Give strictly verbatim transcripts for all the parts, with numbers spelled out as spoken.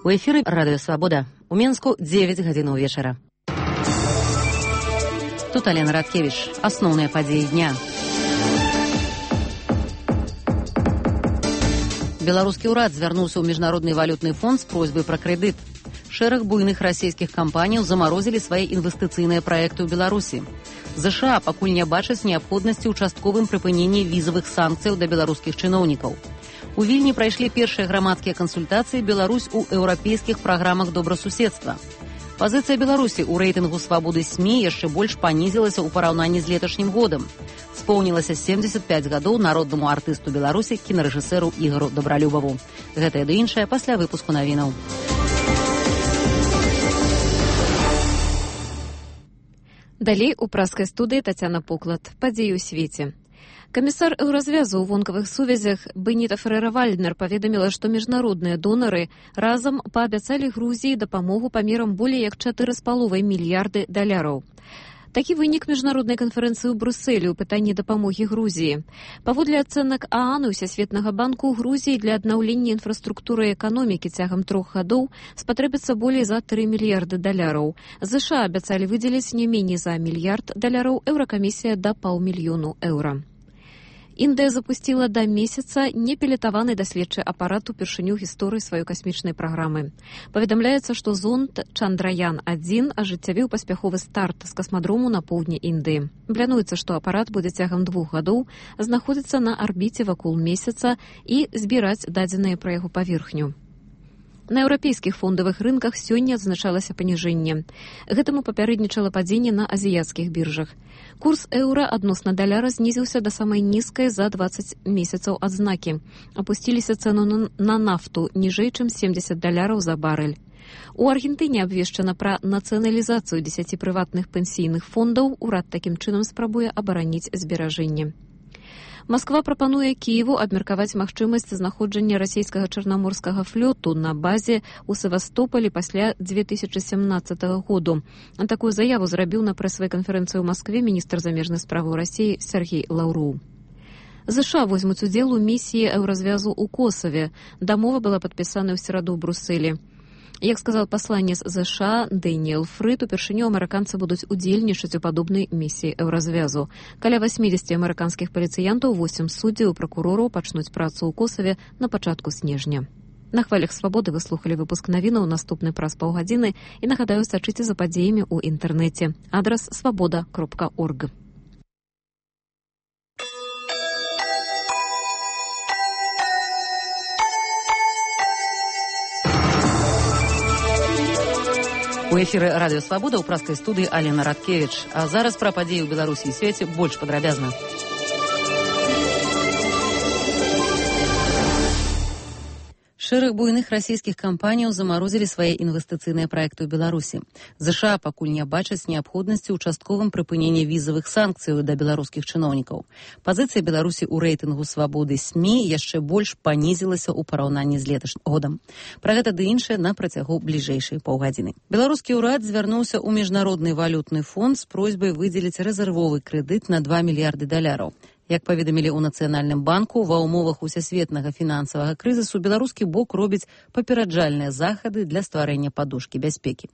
У эфіры Радыё Свабода. У Менску дзевяць гадзінаў вечара. Тут Алена Радкевич. Асноўныя падзеі дня. Беларускі ўрад звярнуўся ў Міжнародны валютны фонд з просьбай пра крэдыт. Шэраг буйных расійскіх кампаніяў замарозілі свае інвестыцыйныя праекты ў Беларусі. ЗША пакуль не бачаць неабходнасці ў частковым прыпыненні візавых санкцыяў да беларускіх чыноўнікаў. У Вільні прайшлі першыя грамадскія кансультацыі «Беларусь у еўрапейскіх праграмах добрасуседства». Пазіцыя Беларусі ў рэйтынгу свабоды СМІ яшчэ больш панізілася ў параўнанні з леташнім годам. Споўнілася семдзесят пяць гадоў народнаму артысту Беларусі, кінарэжысэру Ігору Добралюбаву. Гэтае ды іншае пасля выпуску навінаў. Далей у праскай студыі Тацяна Поклад. Падзеі ў свеце. Камісар еўразвязу ў вонкавых сувязях Беніта Ферера-Вальднер паведаміла, што міжнародныя донары разам паабяцалі Грузіі дапамогу памерам болей як чатыры з паловай мільярды даляраў. Такі вынік міжнароднай канферэнцыі ў Брусэлі ў пытанні дапамогі Грузіі. Паводле ацэнак ААН і Усесветнага банку, ў Грузіі для аднаўлення інфраструктуры эканомікі цягам трох гадоў спатрэбіцца болей за тры мільярды даляраў. ЗША абяцалі выдзеліць не меней за мільярд даляраў, еўракамісія да паўмільёну еўра. Індыя запусціла да месяца непілетаваны даследчы апарат упершыню гісторыі сваёй касмічнай праграмы. Паведамляецца, што зонд Чандраян адзін ажыццявіў паспяховы старт з касмадрому на поўдні Індыі. Плануецца, што апарат будзе цягам двух гадоў знаходзіцца на арбіце вакол месяца і збіраць дадзеныя пра яго паверхню. На еўрапейскіх фондавых рынках сёння адзначалася паніжэнне. Гэтаму папярэднічала падзенне на азіяцкіх біржах. Курс еўра адносна даляра знізіўся да самай нізкай за дваццаць месяцаў адзнакі. Апусціліся цэну на, на нафту ніжэй, чым семдзесят даляраў за барэль. У Аргентыне абвешчана пра нацыяналізацыю дзесяці прыватных пенсійных фондаў. Урад такім чынам спрабуе абараніць зберажэнне. Масква прапануе Кіеву абмеркаваць магчымасць знаходжання расійскага чарнаморскага флоту на базе ў Севастополі пасля дзве тысячы сямнаццатага году. Такую заяву зрабіў на прэсавай канферэнцыі ў Маскве міністр замежнай справаў Расіі Сергей Лаўроў. ЗША возьмуць удзел у місіі еўразвязу ў Косаве. Дамова была падпісана ў сераду ў Брусэлі. Як сказал пасланец ЗША Дэніэл Фрыд, упершыню амерыканцы будуць удзельнічаць у падобнай місіі еўразвязу. Каля васьмідзесяці амерыканскіх паліцыянтаў, восем суддзяў і пракурораў пачнуць працу ў Косаве на пачатку снежня. На хвалях свабоды вы слухалі выпуск навінаў, наступны праз паўгадзіны, і нагадаю, сачыце за падзеямі ў інтэрнэце. Адрас свабода кропка орг. У эфіры Радыё Свабода ў праскай студыі Алена Радкевич. А зараз пра падзеі ў Беларусі і свеце больш падрабязна. Шэраг буйных расійскіх кампаніяў замарозілі свае інвестыцыйныя праекты ў Беларусі. ЗША пакуль не бачаць неабходнасці ў частковым прыпыненні візавых санкцыяў да беларускіх чыноўнікаў. Пазіцыя Беларусі ў рэйтынгу свабоды СМІ яшчэ больш панізілася ў параўнанні з леташнім годам. Пра гэта ды іншае на працягу бліжэйшай паўгадзіны. Беларускі ўрад звярнуўся ў Міжнародны валютны фонд з просьбай выдзеліць рэзервовы крэдыт на два мільярды даляраў. Як паведамілі ў Нацыянальным банку, ва ўмовах усесветнага фінансавага крызісу беларускі бок робіць папераджальныя захады для стварэння падушкі бяспекі.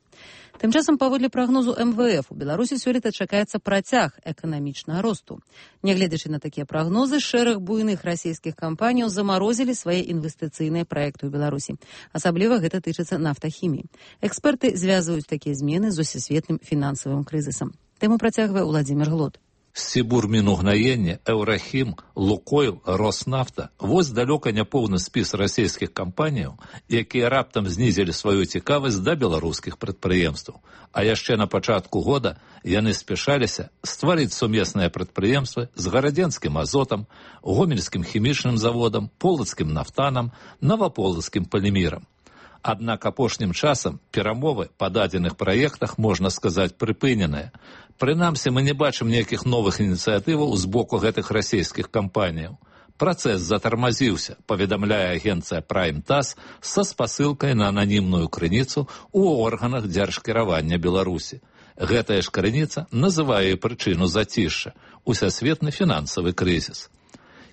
Тым часам, паводле прагнозу эм вэ эф, у Беларусі сёлета чакаецца працяг эканамічнага росту. Нягледзячы на такія прагнозы, шэраг буйных расійскіх кампаніяў замарозілі свае інвестыцыйныя праекты ў Беларусі. Асабліва гэта тычыцца нафтахіміі. Эксперты звязваюць такія змены з усесветным фінансавым крызісам. Тэму працягвае Уладзімір Глод. Сібур мінугнаення, Еўрахім, Лукойл, Роснафта – вось далёка не поўны спіс расійскіх кампаніяў, якія раптам знізілі сваю цікавасць да беларускіх прадпрыемстваў. А яшчэ на пачатку года яны спяшаліся стварыць сумесныя прадпрыемствы з гарадзенскім азотам, гомельскім хімічным заводам, полацкім нафтанам, наваполацкім палімірам. Аднак апошнім часам перамовы па дадзеных праектах, можна сказаць, прыпыненыя. Прынамсі, мы не бачым ніякіх новых ініцыятываў з боку гэтых расійскіх кампаніяў. Працэс затармазіўся, паведамляе агенцыя Prime Tass са спасылкай на ананімную крыніцу ў органах дзяржкіравання Беларусі. Гэтая ж крыніца называе прычыну зацішша – усесветны фінансавы крызіс.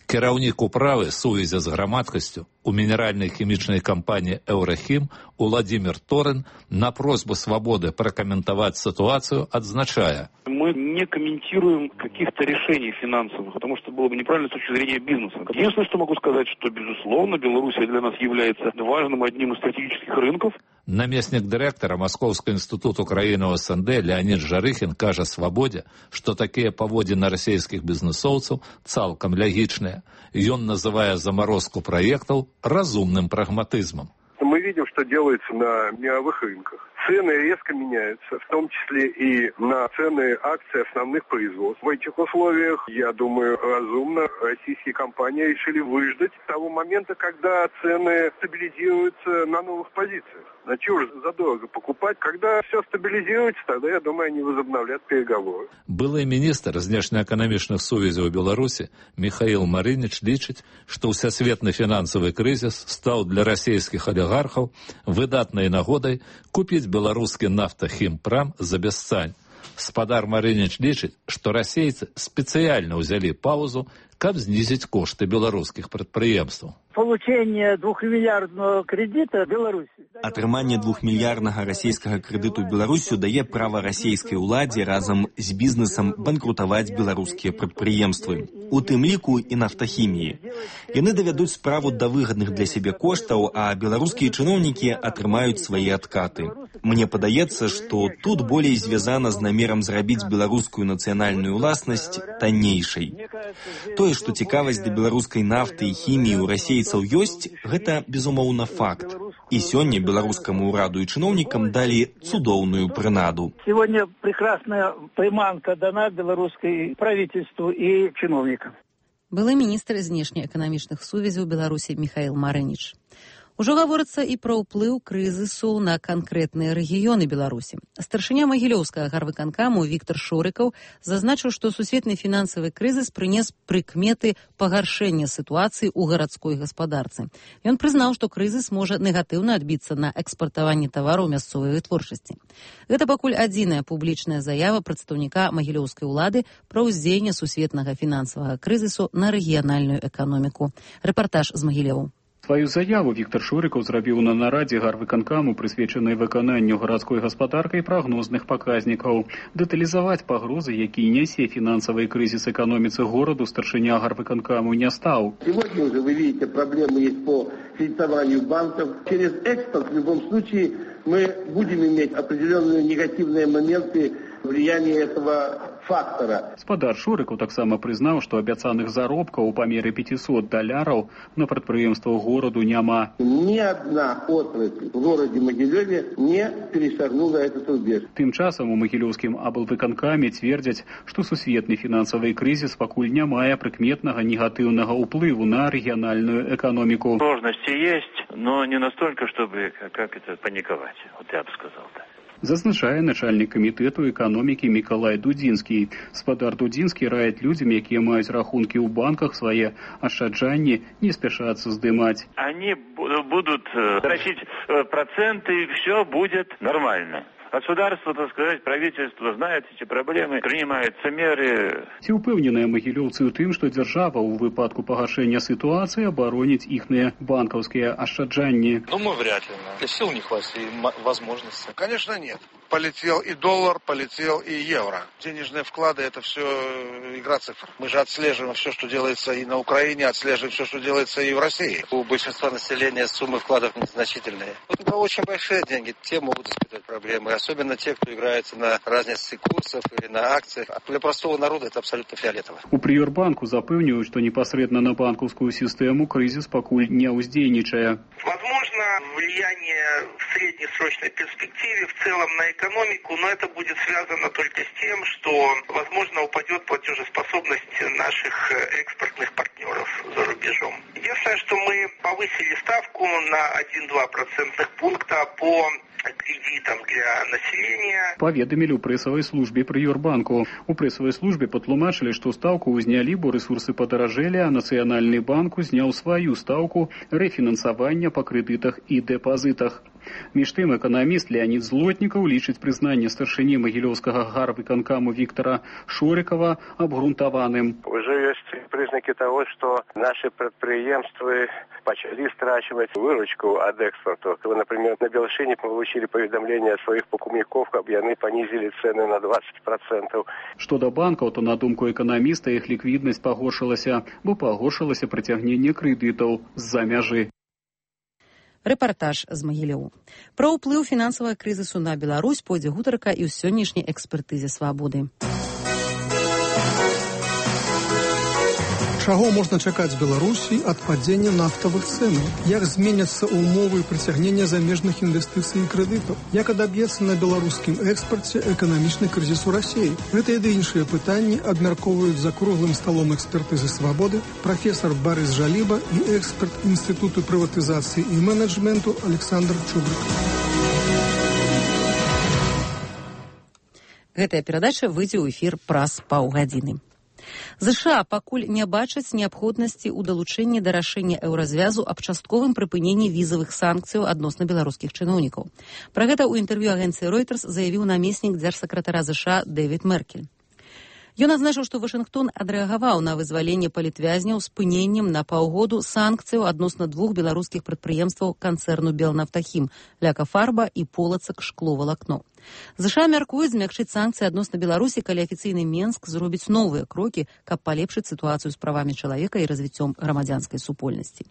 Кіраўнік управы сувязі з грамадскасцю у мінеральнай хімічнай кампаніі «Еўрахім» Владимир Торин на просьбу «Свободы» прокомментовать ситуацию отзначая: мы не комментируем каких-то решений финансовых, потому что было бы неправильно с точки зрения бизнеса. Единственное, что могу сказать, что, безусловно, Белоруссия для нас является важным одним из стратегических рынков. Наместник директора Московского института Украины ОСНД Леонид Жарыхин кажа «Свободе», что такие поводины российских бизнесовцев цалком логичные. И он называя заморозку проектов разумным прагматизмом. Мы видим, что делается на мировых рынках. Цены резко меняются, в том числе и на цены акций основных производств. В этих условиях, я думаю, разумно российские компании решили выждать того момента, когда цены стабилизируются на новых позициях. На чего же задорого покупать? Когда все стабилизируется, тогда, я думаю, они возобновлят переговоры. Былый министр знешнеэкономічных сувязей у Беларуси Михаил Марынич лічыць, что всесветный финансовый кризис стал для российских олигархов выдатной нагодой купить белорусский нафтохимпрам за бесцань. Спадар Марынич лічыць, что российцы специально взяли паузу, каб снизить кошты белорусских предприемств. Получение двухмиллиардного кредита Беларуси. Атрыманне двухмільярднага расійскага крэдыту Беларусю дае права расійскай уладзе разам з бізнесам банкрутаваць беларускія прадпрыемствы, у тым ліку і нафтахіміі. Яны давядуць справу да выгадных для сябе коштаў, а беларускія чыноўнікі атрымаюць свае адкаты. Мне падаецца, што тут болей звязана з намерам зрабіць беларускую нацыянальную ўласнасць таннейшай. Тое, што цікавасць да беларускай нафты і хіміі ў расейцаў ёсць, гэта, безумоўна, факт. І сёння беларускаму ўраду і чыноўнікам далі цудоўную прынаду. Сегодня прекрасная приманка дана белорусской правительству и чиновникам. Былы міністр знешнеэканамічных сувязяў Беларусі Михаил Марынич. Ужо гаворыцца і пра ўплыў крызісу на канкрэтныя рэгіёны Беларусі. Старшыня Магілёўскага гарвыканкаму Віктор Шорыкаў зазначыў, што сусветны фінансавы крызіс прынес прыкметы пагаршэння сітуацыі ў гарадской гаспадарцы. Ён прызнаў, што крызіс можа негатыўна адбіцца на экспартаванні тавараў мясцовай вытворчасці. Гэта пакуль адзіная публічная заява прадстаўніка магілёўскай улады пра ўздзеянне сусветнага фінансавага крызісу на рэгіянальную эканоміку. Рэпартаж з Магілёву. Сваю заяву Віктор Шорыкаў зрабіў на нарадзе гарвыканкаму, прысвечанай выкананню гарадской гаспадаркай прагнозных паказнікаў. Дэталізаваць пагрозы, які нясе фінансавы крызіс эканоміцы гораду, старшыня гарвыканкаму не стаў. Сегодня уже вы видите, проблемы есть по кредитованию банков. Через экспорт в любом случае мы будем иметь определенные негативные моменты влияния этого фактора. Спадар Шорыкаў таксама прызнаў, што абяцаных заробкаў у памеры пятьсот доляраў на прадпрыемствах гораду няма. Ни одна отрасль в городе Могилеве не перешагнула этот рубеж. Тым часам у магілёўскім аблвыканкаме цвердзяць, што сусветны фінансавы крызіс пакуль не мае прыкметнага негатыўнага ўплыву на рэгіянальную эканоміку. Сложности есть, но не настолько, чтобы как это паниковать. Вот я бы сказал так. Зазначае начальник камітэту эканомікі Мікалай Дудзінскі. Спадар Дудзінскі раіць людзям, якія маюць рахункі ў банках, свае ашчаджанні не спяшацца здымаць. Они будут тратить проценты, и все будет нормально. Государство, так сказать, правительство знает эти проблемы, принимаются меры. Ці ўпэўненыя магілёўцы ў тым, што дзяржава ў выпадку пагашэння сітуацыі абароніць іхныя банкаўскія ашчаджанні? Думаю, вряд ли. Для сил не хватит и возможности. Конечно, нет. Полетел и доллар, полетел и евро. Денежные вклады – это все игра цифр. Мы же отслеживаем все, что делается и на Украине, отслеживаем все, что делается и в России. У большинства населения суммы вкладов незначительные. Это очень большие деньги. Те могут испытывать проблемы. Особенно те, кто играется на разнице курсов или на акциях. А для простого народа это абсолютно фиолетово. У Прыёрбанку запэўніваюць, што непасрэдна на банкаўскую сістэму крызіс пакуль не ўздзейнічае. Возможно, влияние в среднесрочной перспективе в целом на экономику, но это будет связано только с тем, что, возможно, упадет платежеспособность наших экспортных партнеров за рубежом. Единственное, что мы повысили ставку на один-два процентных пункта по кредитам для населения. Паведамілі ў прэсавай службе Прыёрбанку. У прэсавай службе патлумачылі, што стаўку ўзнялі, бо рэсурсы падаражэлі, а Нацыянальны банк узняў сваю стаўку рэфінансавання па крэдытах і дэпазітах. Між тым, эканаміст Леонид Злотнікаў лічыць прызнанне старшыні магілёўскага гарвыканкаму Віктора Шорыкава абгрунтаваным. Уже есть признаки того, что наши предприемства начали страчивать выручку от экспорта. Например, на Белшине получили поведомление от своих покупников, как они понизили цены на двадцать процентов. Что до банкаў, то на думку эканаміста іх ліквіднасць пагоршылася, бо пагоршылася прыцягненне крэдытаў з-за мяжы. Рэпартаж з Магілёў. Пра ўплыў фінансавага крызісу на Беларусь пойдзе гутарка і ў сённяшняй экспертызе «Свабоды». Чаго можна чакаць Беларусі ад падзення нафтавых цэнаў? Як зменяцца ўмовы прыцягнення замежных інвестыцый і крэдытаў? Як адаб'ецца на беларускім экспарце эканамічны крызіс у Расіі? Гэтыя ды іншыя пытанні абмяркоўваюць за круглым сталом экспертызы «Свабоды» прафесар Барыс Жаліба і эксперт Інстытуту прыватызацыі і менеджменту Александр Чубрык. Гэтая перадача выйдзе ў эфір праз паўгадзіны. ЗША пакуль не бачаць неабходнасці ў далучэнні да рашэння еўразвязу аб частковым прыпыненні візавых санкцыяў адносна беларускіх чыноўнікаў. Пра гэта ў інтэрв'ю агенцыі Reuters заявіў намеснік дзяржсакратара ЗША Дэвід Меркель. Ён адзначыў, што Вашынгтон адрэагаваў на вызваленне палітвязняў спыненнем на паўгоду санкцыяў адносна двух беларускіх прадпрыемстваў канцэрну «Белнафтахім» Ляка-Фарба і Полацак Шкловалакно. ЗША мяркуюць змякчыць санкцыі адносна Беларусі, калі афіцыйны Менск зробіць новыя крокі, каб палепшыць сітуацыю з правамі чалавека і развіццём грамадзянскай супольнасці.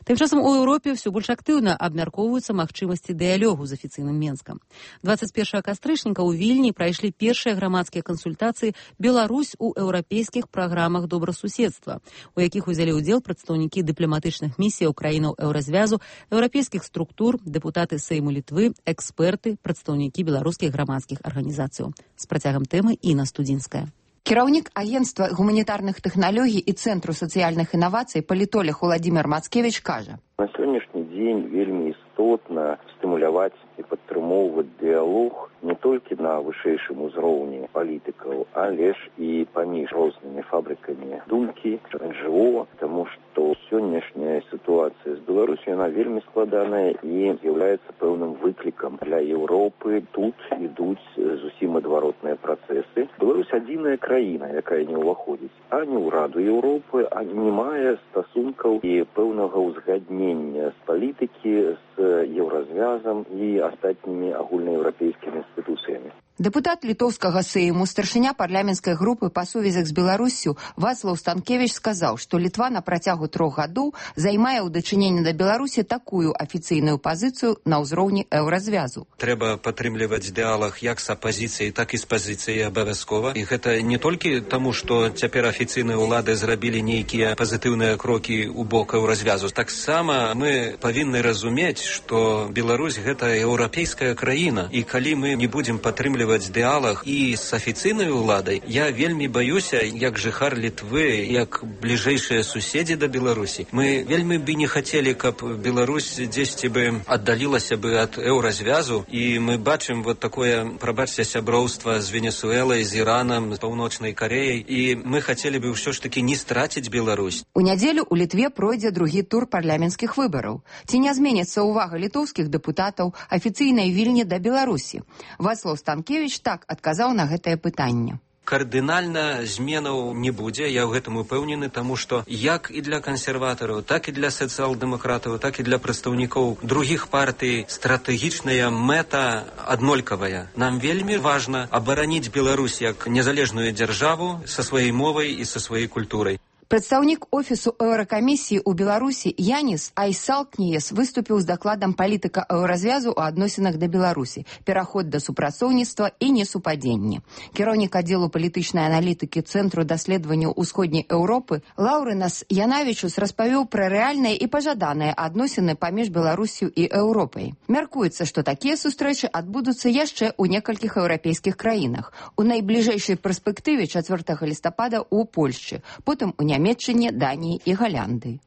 Тым часам у Еўропе ўсё больш актыўна абмяркоўваюцца магчымасці дыялогу з афіцыйным Менскам. дваццаць першага кастрычніка ў Вільні прайшлі першыя грамадскія кансультацыі «Беларусь у еўрапейскіх праграмах добрасуседства», у якіх узялі ўдзел прадстаўнікі дыпламатычных місіяў краінаў еўразвязу, еўрапейскіх структур, дэпутаты Сейму Літвы, эксперты, прадстаўнікі беларускіх грамадскіх арганізацыяў. З працягам тэмы Інна Студзінская. Кіраўнік агенцтва гуманітарных тэхналогій і Цэнтру сацыяльных інавацый палітолог Уладзімір Мацкевіч кажа: На сённяшні дзень вельмі істотна стымуляваць і падтрымоўваць дыялог не толькі на вышэйшым узроўні палітыкаў, але ж і паміж рознымі фабрыкамі думкі, эн жэ о, таму што сённяшняя сітуацыя з Беларусью, яна вельмі складаная і з'яўляецца пэўным выклікам для Еўропы. Тут ідуць зусім адваротныя працэсы. Беларусь адзіная краіна, якая не ўваходзіць ані ў Раду Еўропы, ані не мае стасункаў і пэўнага ўзгаднення з палітыкі, з еўразвязам і астатнімі агульнаеўрапейскімі інстытуцыямі. Дэпутат літоўскага Сейму, старшыня парламенцкай групы па сувязях з Беларуссю Вацлаў Станкевіч сказаў, што Літва на працягу трох гадоў займае ў дачыненні да Беларусі такую афіцыйную пазіцыю на ўзроўні еўразвязу. Трэба падтрымліваць дыялог як з апазіцыяй, так і з пазіцыяй абавязкова. І гэта не толькі таму, што цяпер афіцыйныя ўлады зрабілі нейкія пазітыўныя крокі ў бок еўразвязу. Таксама мы павінны разумець, што Беларусь гэта еўрапейская краіна, і калі мы не будзем падтрымліваць дыалог і з афіцыйнай уладай, я вельмі баюся, як жыхар Літвы, як бліжэйшыя суседзі да Беларусі. Мы вельмі бы не хацелі, каб Беларусь дзесьці бы аддалілася бы ад еўразвязу, і мы бачым вот такое, прабачце, сяброўства з Венесуэлай, з Іранам, з Паўночнай Кареяй, і мы хацелі бы ўсё ж такі не страціць Беларусь. У нядзелю ў Літве пройдзе другі тур парламенцкіх выбараў. Ці не зменіцца ўвага літоўскіх дэпутатаў афіцыйнай Вільні да Беларусі? Вацлаў Станкевіч так адказаў на гэтае пытанне. Кардынальна зменаў не будзе, я ў гэтым упэўнены, таму што як і для кансерватараў, так і для сацыял-дэмакратаў, так і для прадстаўнікоў другіх партый стратэгічная мэта аднолькавая. Нам вельмі важна абараніць Беларусь як незалежную дзяржаву са сваёй мовай і са сваёй культурай. Прадстаўнік офісу еўракамісіі ў Беларусі Яніс Айсалкніес выступіў з дакладам палітыка еўразвязу ў адносінах да Беларусі, пераход да супрацоўніцтва і несупадзенні. Кіраўнік аддзелу палітычнай аналітыкі Цэнтру даследаванняў усходняй Еўропы Лаўрынас Янавічус распавёў пра рэальныя і пажаданыя адносіны паміж Беларусю і Еўропай. Мяркуецца, што такія сустрэчы адбудуцца яшчэ ў некалькіх еўрапейскіх краінах. У найбліжэйшай перспектыве чацвёртага лістапада ў Польшчы, потым у Нямецчыне, Даніі і Галландыі.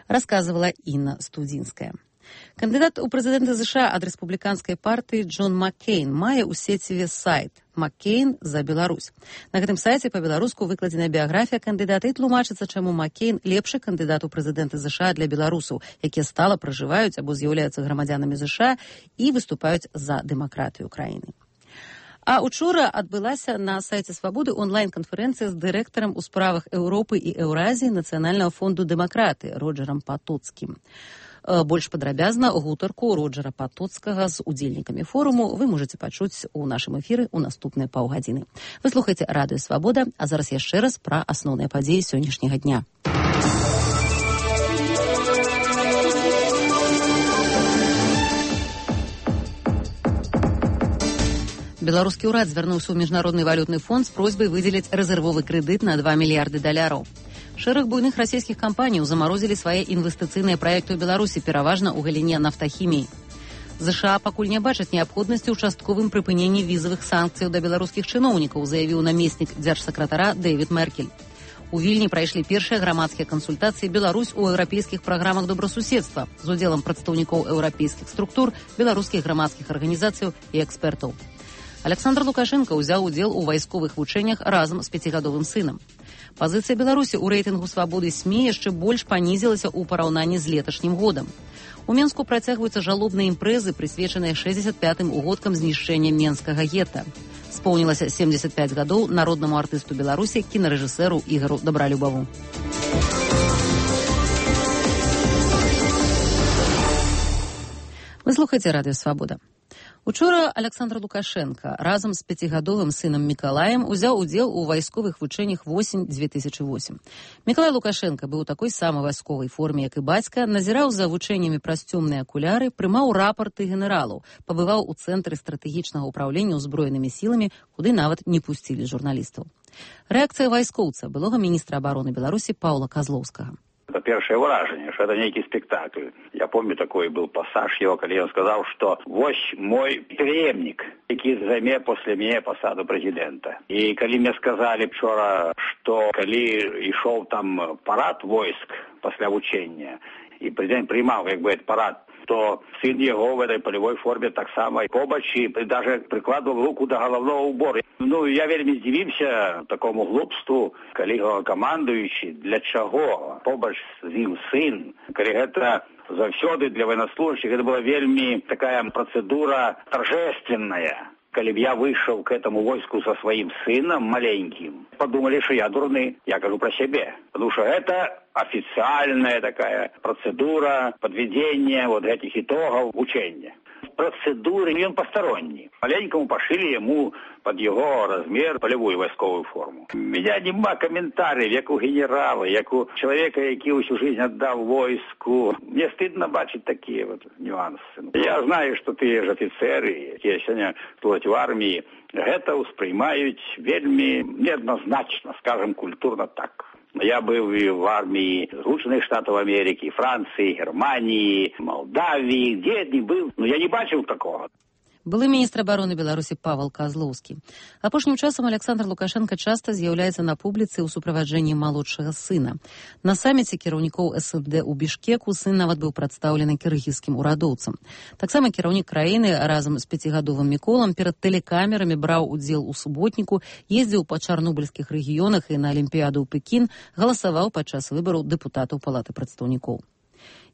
Расказывала Інна Студзінская. Кандыдат у прэзідэнты ЗША ад рэспубліканскай партыі Джон Маккейн мае ў сеціве сайт «Маккейн за Беларусь». На гэтым сайце па-беларуску выкладзена біяграфія кандыдата і тлумачыцца, чаму Маккейн лепшы кандыдат у прэзідэнты ЗША для беларусаў, якія стала пражываюць або з'яўляюцца грамадзянамі ЗША і выступаюць за дэмакратыю краіны. А учора адбылася на сайце Свабоды онлайн-канферэнцыя з дырэктарам у справах Еўропы і Еўразіі Нацыянальнага фонду дэмакраты Роджерам Патоцкім. Больш падрабязна гутарку Роджера Патоцкага з удзельнікамі форуму вы можаце пачуць у нашым эфіры ў наступныя паўгадзіны. Вы слухаеце радыё Свабода, а зараз яшчэ раз пра асноўныя падзеі сённяшняга дня. Беларускі ўрад звярнуўся ў міжнародны валютны фонд з просьбай выдзеліць рэзервовы крэдыт на два мільярды даляраў. Шэраг буйных расійскіх кампаніяў замарозілі свае інвестыцыйныя праекты ў Беларусі, пераважна ў галіне нафтахіміі. ЗША пакуль не бачаць неабходнасці ў частковым прыпыненні візавых санкцыяў да беларускіх чыноўнікаў, заявіў намеснік дзяржсакратара Дэвід Меркель. У Вільні прайшлі першыя грамадскія кансультацыі Беларусь у еўрапейскіх праграмах добрасуседства з удзелам прадстаўнікоў еўрапейскіх структур, беларускіх грамадскіх арганізацыяў і экспертаў. Александр Лукашенко ўзяў удзел у вайсковых вучэннях разам з пяцігадовым сынам. Пазіцыя Беларусі ў рэйтынгу свабоды СМІ яшчэ больш панізілася ў параўнанні з леташнім годам. У Менску працягваюцца жалобныя імпрэзы, прысвечаныя шэсцьдзесят пятым угодкам знішчэння менскага гета. Споўнілася семьдесят пять гадоў народнаму артысту Беларусі, кінарэжысэру Ігару Дабралюбаву. Вы слухаеце радыё Свабода. Учора Александр Лукашенко разам з пяцігадовым сынам Мікалаем узяў удзел у вайсковых вучэннях восень две тысячи восем. Мікалай Лукашенко быў у такой самай вайсковай форме, як і бацька, назіраў за вучэннямі праз цёмныя акуляры, прымаў рапарты генералаў, пабываў у цэнтры стратэгічнага ўпраўлення ўзброенымі сіламі, куды нават не пусцілі журналістаў. Рэакцыя вайскоўца, былога міністра абароны Беларусі Паўла Казлоўскага. Это первое выражение, что это некий спектакль. Я помню, такой был пассаж его, когда он сказал, что «Вось мой преемник, який займе после меня посаду президента». И когда мне сказали вчера, что когда шел там парад войск после учения, и президент принимал, как бы, этот парад, то сын его в этой полевой форме так само побач и даже прикладывал руку до головного убора. Ну, я вельми здивився такому глупству, коли командуючий, для чого побач з ним сын, коли это завсёды для военнослужащих, это была вельми такая процедура торжественная. Коли б я вышел к этому войску со своим сыном маленьким, подумали, что я дурный. Я говорю про себя. Потому что это официальная такая процедура подведения вот этих итогов учения. Процедуры, и он посторонний. Маленькому пошили ему под его размер полевую войсковую форму. У меня нема комментариев, як у генерала, як у человека, який усю жизнь отдал войску. Мне стыдно бачить такие вот нюансы. Я знаю, что ты же офицер, и я сегодня служать в армии. Это воспринимают вельми неоднозначно, скажем, культурно так. Я был и в армии Соединенных Штатов Америки, Франции, Германии, Молдавии, где я не был, но я не бачил такого. Былы міністр абароны Беларусі Павел Казлоўскі. Апошнім часам Александр Лукашенко часта з'яўляецца на публіцы ў суправаджэнні малодшага сына. На саміце кіраўнікоў эс эн дэ ў Бішкеку сын нават быў прадстаўлены кіргізскім урадоўцам. Таксама кіраўнік краіны разам з пяцігадовым Міколам перад тэлекамерамі браў удзел у суботніку, ездзіў па чарнобыльскіх рэгіёнах і на Алімпіяду ў Пекін, галасаваў падчас выбараў дэпутатаў Палаты прадстаўнікоў.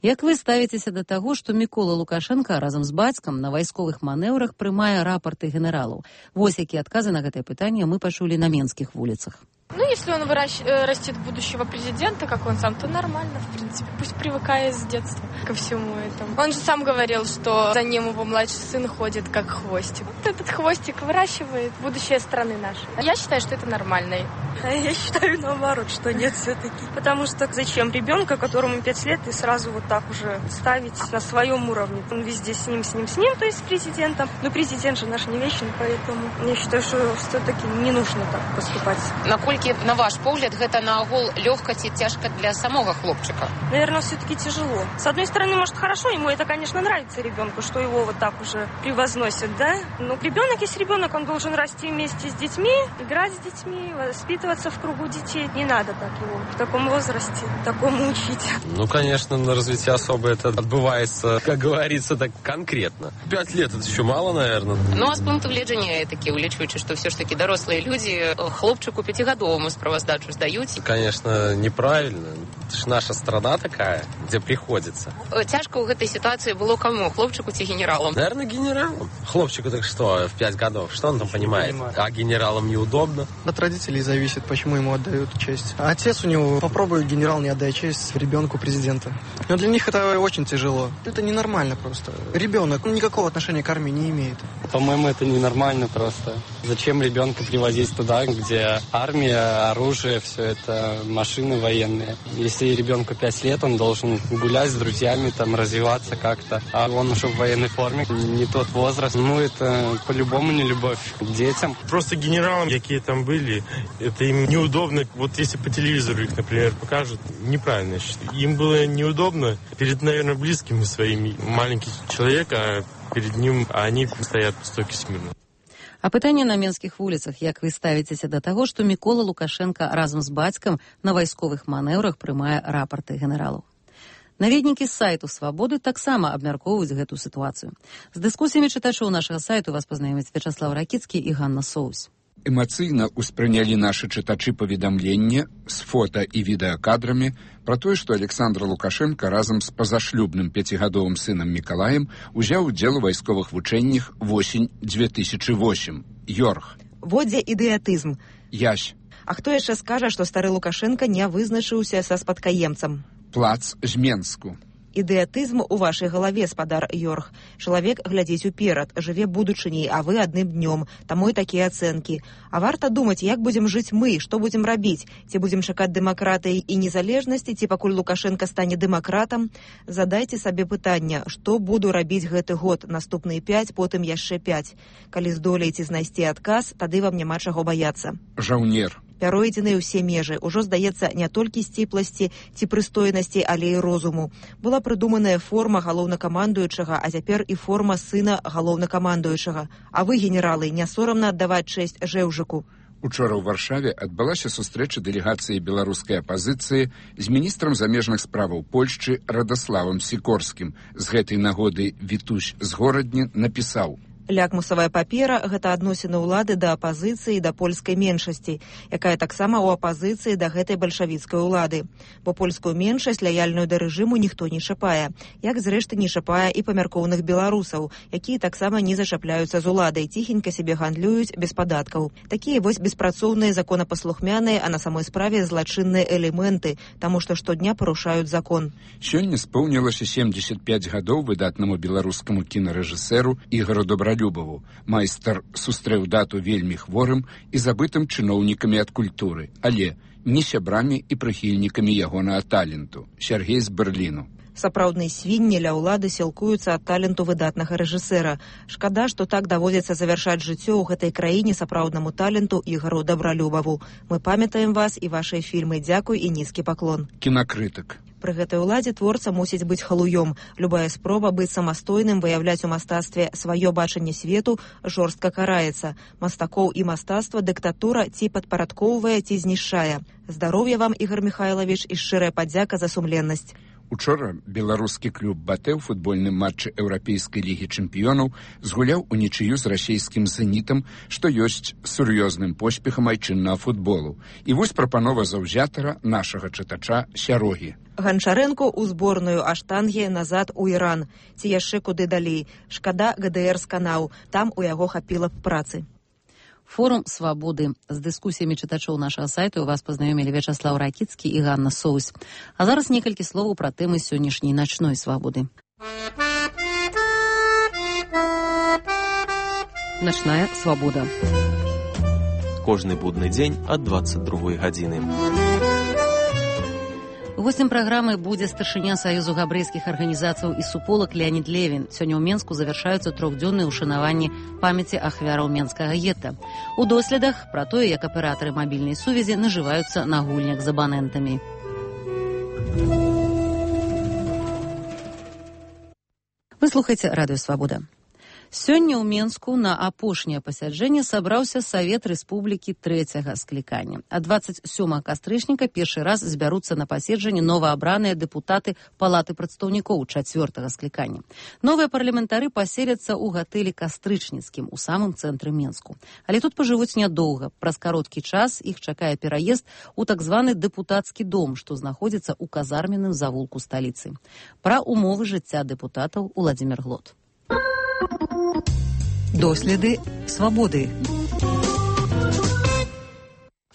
Як вы ставіцеся да таго, што Мікола Лукашенко разам з бацькам на вайсковых манеўрах прымае рапорты генералаў? Вось якія адказы на гэтае пытанне мы пачулі на менскіх вуліцах. Ну, если он выращ... растит будущего президента, как он сам, то нормально, в принципе. Пусть привыкает с детства ко всему этому. Он же сам говорил, что за ним его младший сын ходит как хвостик. Вот этот хвостик выращивает будущее страны нашей. Я считаю, что это нормально. Я считаю, наоборот, что нет все-таки. Потому что зачем ребенка, которому пять лет, и сразу вот так уже ставить на своем уровне? Он везде с ним, с ним, с ним, то есть с президентом. Но президент же наш не вечный, поэтому я считаю, что все-таки не нужно так поступать. Наколькі, на ваш погляд, гэта наогул лёгка ці цяжка для самого хлопчика? Наверное, все-таки тяжело. С одной стороны, может, хорошо, ему это, конечно, нравится ребенку, что его вот так уже превозносят, да? Но ребенок есть ребенок, он должен расти вместе с детьми, играть с детьми, воспитываться в кругу детей. Не надо так его в таком возрасте, такому учить. Ну, конечно, на развитие особо это отбывается, как говорится, так конкретно. Пять лет это еще мало, наверное. Ну, а с пункту гледжання такі, улічуючи, што все ж таки дарослыя людзі хлопчыку пяцігадоваму яму справаздачу здаюць? Конечно, неправильно. Это ж наша страна такая, где приходится. Цяжка ў гэтай ситуации было кому? Хлопчику ці генералам? Наверное, генералам. Хлопчику так что, в пять годов, что он там понимает? А генералам неудобно. От родителей зависит, почему ему отдают честь. А отец у него, попробует генерал не отдать честь ребенку президента. Но для них это очень тяжело. Это ненормально просто. Ребенок никакого отношения к армии не имеет. По-моему, это ненормально просто. Зачем ребенка привозить туда, где армия, оружие, все это, машины военные? Если ребенку пять лет, он должен гулять с друзьями, там, развиваться как-то. А он уже в военной форме, не тот возраст. Ну, это по-любому не любовь к детям. Просто генералам, какие там были, это им неудобно. Вот если по телевизору их, например, покажут, неправильно. Им было неудобно перед, наверное, близкими своими. Маленький человек, а перед ним они стоят в стойке смирно. А пытанне на менскіх вуліцах, як вы ставіцеся да таго, што Мікола Лукашенка разам з бацькам на вайсковых манеўрах прымае рапарты генералаў. Наведнікі з сайту «Свабоды» таксама абмяркоўваюць гэту сітуацыю. З дыскусіямі чытачоў нашага сайту вас пазнаёмяць Вячаслав Ракіцкі і Ганна Соус. Эмацыйна ўспрынялі нашы чытачы паведамлення з фота і відэакадрамі пра тое, што Александр Лукашенко разам з пазашлюбным пяцігадовым сынам Мікалаем узяў удзел у вайсковых вучэннях восень две тысячи восьмым. Йорг. Водзе ідыятызм. Ясь. А хто яшчэ скажа, што стары Лукашенко не вызначыўся са спадкаемцам? Плац з Менску. Ідыятызм у вашай галаве, спадар Йорг. Чалавек глядзіць уперад, жыве будучыняй, а вы адным днём. Таму і такія ацэнкі. А варта думаць, як будзем жыць мы, што будзем рабіць? Ці будзем чакаць дэмакратыі і незалежнасці, ці пакуль Лукашенко стане дэмакратам? Задайце сабе пытанне, што буду рабіць гэты год, наступныя пяць, потым яшчэ пяць. Калі здолееце знайсці адказ, тады вам няма чаго баяцца. Жаўнер. Пяройдзены ўсе межы. Ужо, здаецца, не толькі сціпласці ці прыстойнасці, але і розуму. Была прыдуманая форма галоўнакамандуючага, а цяпер і форма сына галоўнакамандуючага. А вы, генералы, не сорамна аддаваць чэсць Жэўжыку? Учора ў Варшаве адбылася сустрэча дэлегацыі беларускай апазіцыі з міністрам замежных справаў Польшчы Радаславам Сікорскім. З гэтай нагоды Вітусь з Горадні напісаў: Лякмусавая папера – гэта адносіны ўлады да апазіцыі, да польскай меншасці, якая таксама ў апазіцыі да гэтай бальшавіцкай улады. Бо польскую меншасць, лаяльную да рэжыму, ніхто не чапае. Як, зрэшты, не чапае і памяркоўных беларусаў, якія таксама не зачапляюцца з уладай, ціхенька сябе гандлююць без падаткаў. Такія вось беспрацоўныя, законапаслухмяныя, а на самой справе злачынныя элементы, таму што штодня парушаюць закон. Сёння споўнілася семьдесят пять гадоў выдатнаму беларускаму кінарэжысэру Ігору Добралюбову. Майстар сустрэў дату вельмі хворым і забытым чыноўнікамі ад культуры, але не сябрамі і прыхільнікамі ягонага таленту. Сергей з Берліну. Сапраўдныя свінні ля ўлады сілкуюцца ад таленту выдатнага рэжысэра. Шкада, што так даводзіцца завяршаць жыццё ў гэтай краіне сапраўднаму таленту Ігору Добралюбову. Мы памятаем вас і вашыя фільмы. Дзякуй і нізкі паклон. Кінакрытык. Пры гэтай уладзе творца мусіць быць халуём. Любая спроба быць самастойным, выяўляць у мастацтве сваё бачанне свету жорстка караецца. Мастакоў і мастацтва дыктатура ці падпарадкоўвае, ці знішчае. Здароўя вам, Ігор Михайлович, і шчырая падзяка за сумленнасць. Учора беларускі клуб «Батэ» ў футбольным матчы Еўрапейскай лігі чэмпіёнаў згуляў унічыю з расійскім «Зенітам», што ёсць сур'ёзным поспехам айчыннага футболу. І вось прапанова заўзятара нашага чытача Сярогі. Ганчарэнку ў зборную Аштангі назад у Іран. Ці яшчэ куды далей. Шкада гэ дэ эр сканаў. Там у яго хапіла б працы. Форум «Свабоды». З дыскусіямі чытачоў нашага сайту вас пазнаёмілі Вячаслав Ракіцкі і Ганна Соус. А зараз некалькі словаў пра тэмы сённяшняй начной свабоды. Начная свабода. Кожны будны дзень ад двадцать другой гадзіны. Гостем праграмы будзе старшыня Саюзу габрэйскіх арганізацыяў і суполак Леонід Левін. Сёння ў Менску завяршаюцца трохдзённыя ўшанаванні памяці ахвяраў менскага гета. У доследах пра тое, як аператары мабільнай сувязі нажываюцца на гульнях з абанентамі. Вы слухаеце радыё «Свабода». Сёння ў Менску на апошняе пасяджэнне сабраўся Савет Рэспублікі трэцяга склікання. А дваццаць сёмага кастрычніка першы раз збяруцца на паседжанне новаабраныя дэпутаты Палаты прадстаўнікоў чацвёртага склікання. Новыя парламентары паселяцца ў гатэлі Кастрычніцкім у самым цэнтры Менску. Але тут пажывуць нядоўга. Праз кароткі час іх чакае пераезд у так званы дэпутацкі дом, што знаходзіцца ў казарменным завулку сталіцы. Пра умовы жыцця дэпутатаў Уладзімір Глот. Доследы свабоды.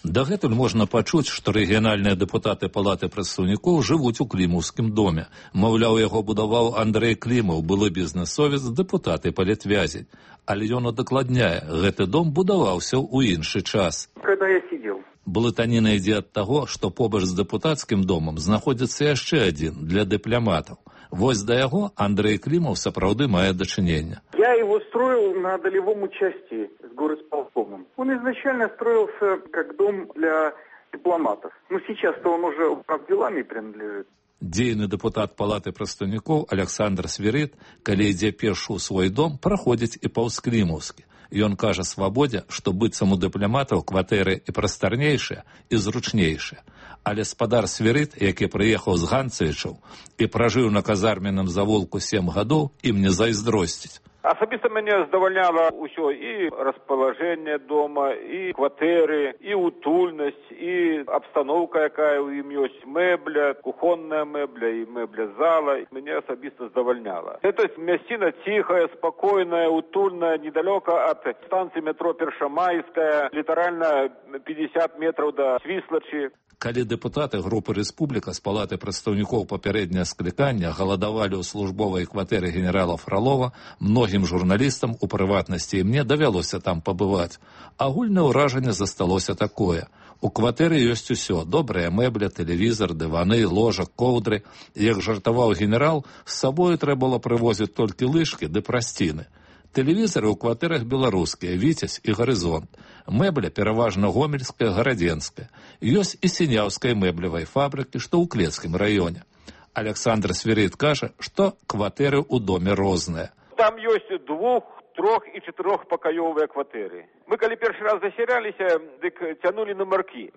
Дагэтуль можна пачуць, што рэгіянальныя дэпутаты Палаты прадстаўнікоў жывуць у Клімаўскім доме. Маўляў, яго будаваў Андрэй Клімаў, былы бізнэсовец, дэпутаты палітвязень. Але ён удакладняе, гэты дом будаваўся ў іншы час. Когда я сидел. Блытаніна ідзе ад таго, што побач з дэпутацкім домам знаходзіцца яшчэ адзін для дыпламатаў. Вось да яго Андрэй Клімаў сапраўды мае дачынення. Я его строил на долевом участии с горосполкомом. Он изначально строился как дом для дипломатов. Но сейчас-то он уже управделами принадлежит. Дзейны дэпутат Палаты прадстаўнікоў Александр Свірыт, калі ідзе пешу ў свой дом, праходзіць і паўз Клімаўскі. Ён кажа свабодзе, што быццам у дыпламатаў кватэры і прастарнейшыя, і зручнейшыя. Але спадар Свірыт, які прыехаў з Ганцевічаў і пражыў на казарменным завулку сем гадоў, ім не зайздросціць. Асабіста мяне здавальняла ўсё, і распалажэнне дома, і кватэры, і утульнасць, і абстаноўка, якая ў ім ёсць, мэбля, кухонная мэбля і мэбля зала. Мяне асабіста здавальняла. Это мясціна ціхая, спакойная, утульная, недалёка ад станцыі метро Першамайская, літаральна пятьдесят метраў да Свіслачы. Калі дэпутаты групы Рэспубліка з Палаты прадстаўнікоў папярэдняе склікання галадавалі ў службовай кватэры генерала Фралова, многім журналістам, у прыватнасці і мне, давялося там пабываць. Агульнае ўражанне засталося такое. У кватэры ёсць усё. Добрая мэбля, тэлевізар, дываны, ложак, коўдры. Як жартаваў генерал, з сабою трэба было прывозіць толькі лыжкі ды прасціны. Тэлевізары ў кватэрах беларускія, Віцязь і Гарызонт. Мэбля пераважна гомельская, гарадзенская. Ёсць і сіняўскай мэблевай фабрыкі, што ў Клецкім раёне. Александр Свірыт кажа, што кватэры ў доме розныя. Там ёсць двух, трох і чатырохпакаёвыя кватэры. Мы калі першы раз засяраліся, дык цянулі нумаркі.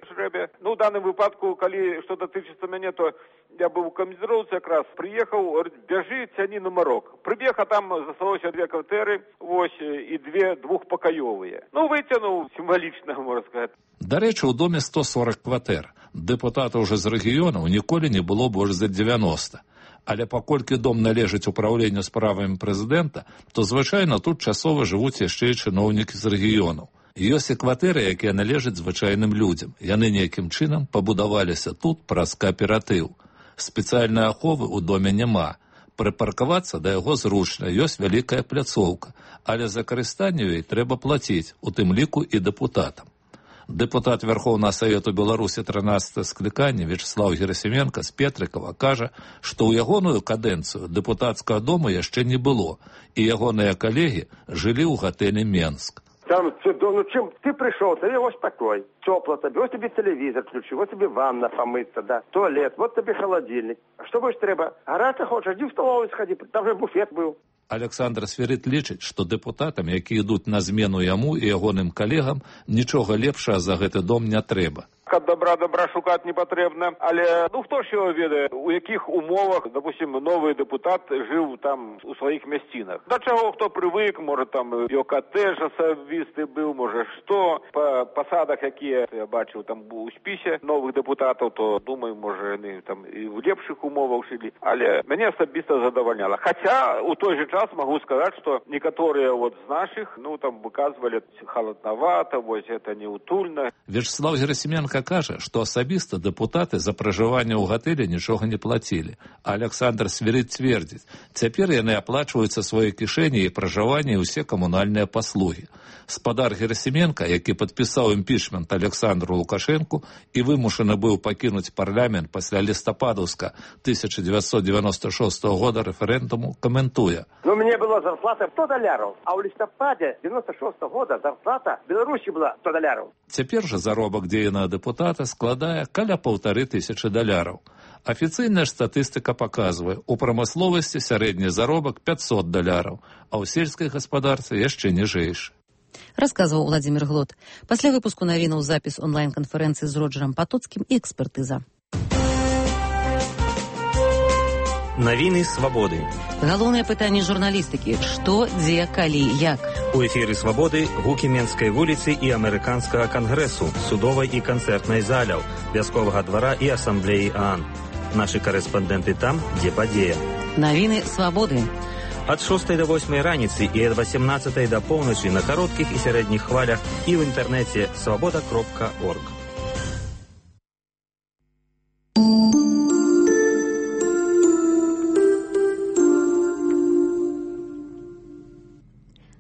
Ну, ў даным выпадку, калі што датычыцца мяне, то я быў у камандзіроўцы якраз, прыехаў, говорит, бяжы, цяні нумарок. Прыбег, а там засталося две кватэры, вось, і две двухпакаёвыя. Ну, выцянуў сімвалічна, можна сказаць. Дарэчы, у доме сто сорок кватэр. Дэпутатаў уже з рэгіёнаў ніколі не было больш за дзевяноста. Але паколькі дом належыць управленню справамі прэзідэнта, то звычайна тут часова жывуць яшчэ і чыноўнікі з рэгіёнаў. Ёсць і кватэры, якія належаць звычайным людзям. Яны нейкім чынам пабудаваліся тут праз кааператыў. Спецыяльнай аховы ў доме няма. Прыпаркавацца да яго зручна, ёсць вялікая пляцоўка, але за карыстанне ёй трэба плаціць, у тым ліку і дэпутатам. Дэпутат Верховного Совету Беларусі трынаццатага склікання Вячеслав Герасименко з Петрыкова кажа, што ў ягоную кадэнцыю дэпутацкага дома яшчэ не было, і ягоныя калегі жылі ў гатэлі Менск. Там, ну чим ти прийшов, тобі ось такой, тепло тобі, ось тобі телевізор включив, ось тобі ванна помиться, да, туалет, ось тобі холодильник. Що будеш треба? Гарати хочеш, йди в столовую сходи, там же буфет був. Александр Свірыт лічыць, што дэпутатам, які ідуць на змену яму і ягоным калегам, нічога лепшага за гэты дом не трэба. Ад добра добра шукаць не патрэбна, але ну хто ж його ведае, у якіх умовах, допустим, новый дэпутат жыў там у сваіх мясцінах. Да чаго хто прывык, можа там його катэдж асабісты быў, можа што, па пасадах, якія я бачыў там у спісе новых дэпутатаў, то думаю, можа яны там і в лепшых умовах жылі, але мяне асабіста задавальняла. Хаця у той же час могу сказаць, што некаторыя вот з нашых, ну там выказвалі халаднавата, вось это неутульна. Вячеслав Герасименко кажа, што асабіста дэпутаты за пражыванне ў гатэлі нічога не плацілі. А Александр Свірыт цвердзіць, цяпер яны аплачваюцца свае кішэні і пражыванне і ўсе камунальныя паслугі. Спадар Герасименко, які падпісаў імпічмент Александру Лукашэнку і вымушаны быў пакінуць парламент пасля лістападаўска тысяча девятьсот девяносто шестого года рэферэндуму, каментуе. Ну, мне была зарплата сто доляров, а ў лістападе девяносто шестого года зарплата в Беларусі была сто доляров. Цяпер жа заробак дзейнага дэпутата складае каля паўтары тысячы даляраў. Афіцыйная ж статыстыка паказвае, у прамысловасці сярэдні заробак пятьсот даляраў, а ў сельскай гаспадарцы яшчэ ніжэйшы. Расказваў Владзімір Глот. Пасля выпуску навінаў запіс онлайн-канферэнцыі з Роджерам Патоцкім і экспертыза. Навіны свабоды. Галоўнае пытанне журналістыкі. Што, дзе, калі, як? У эфіры свабоды гукі Менскай вуліцы і амерыканскага кангрэсу, судовай і канцэртнай заляў, вясковага двара і асамблеі ААН. Нашы карэспандэнты там, дзе падзея. Навіны свабоды. Ад шостай да восьмай раніцы і ад васемнаццатай да поўначы на кароткіх і сярэдніх хвалях і ў інтэрнэце свабода кропка орг.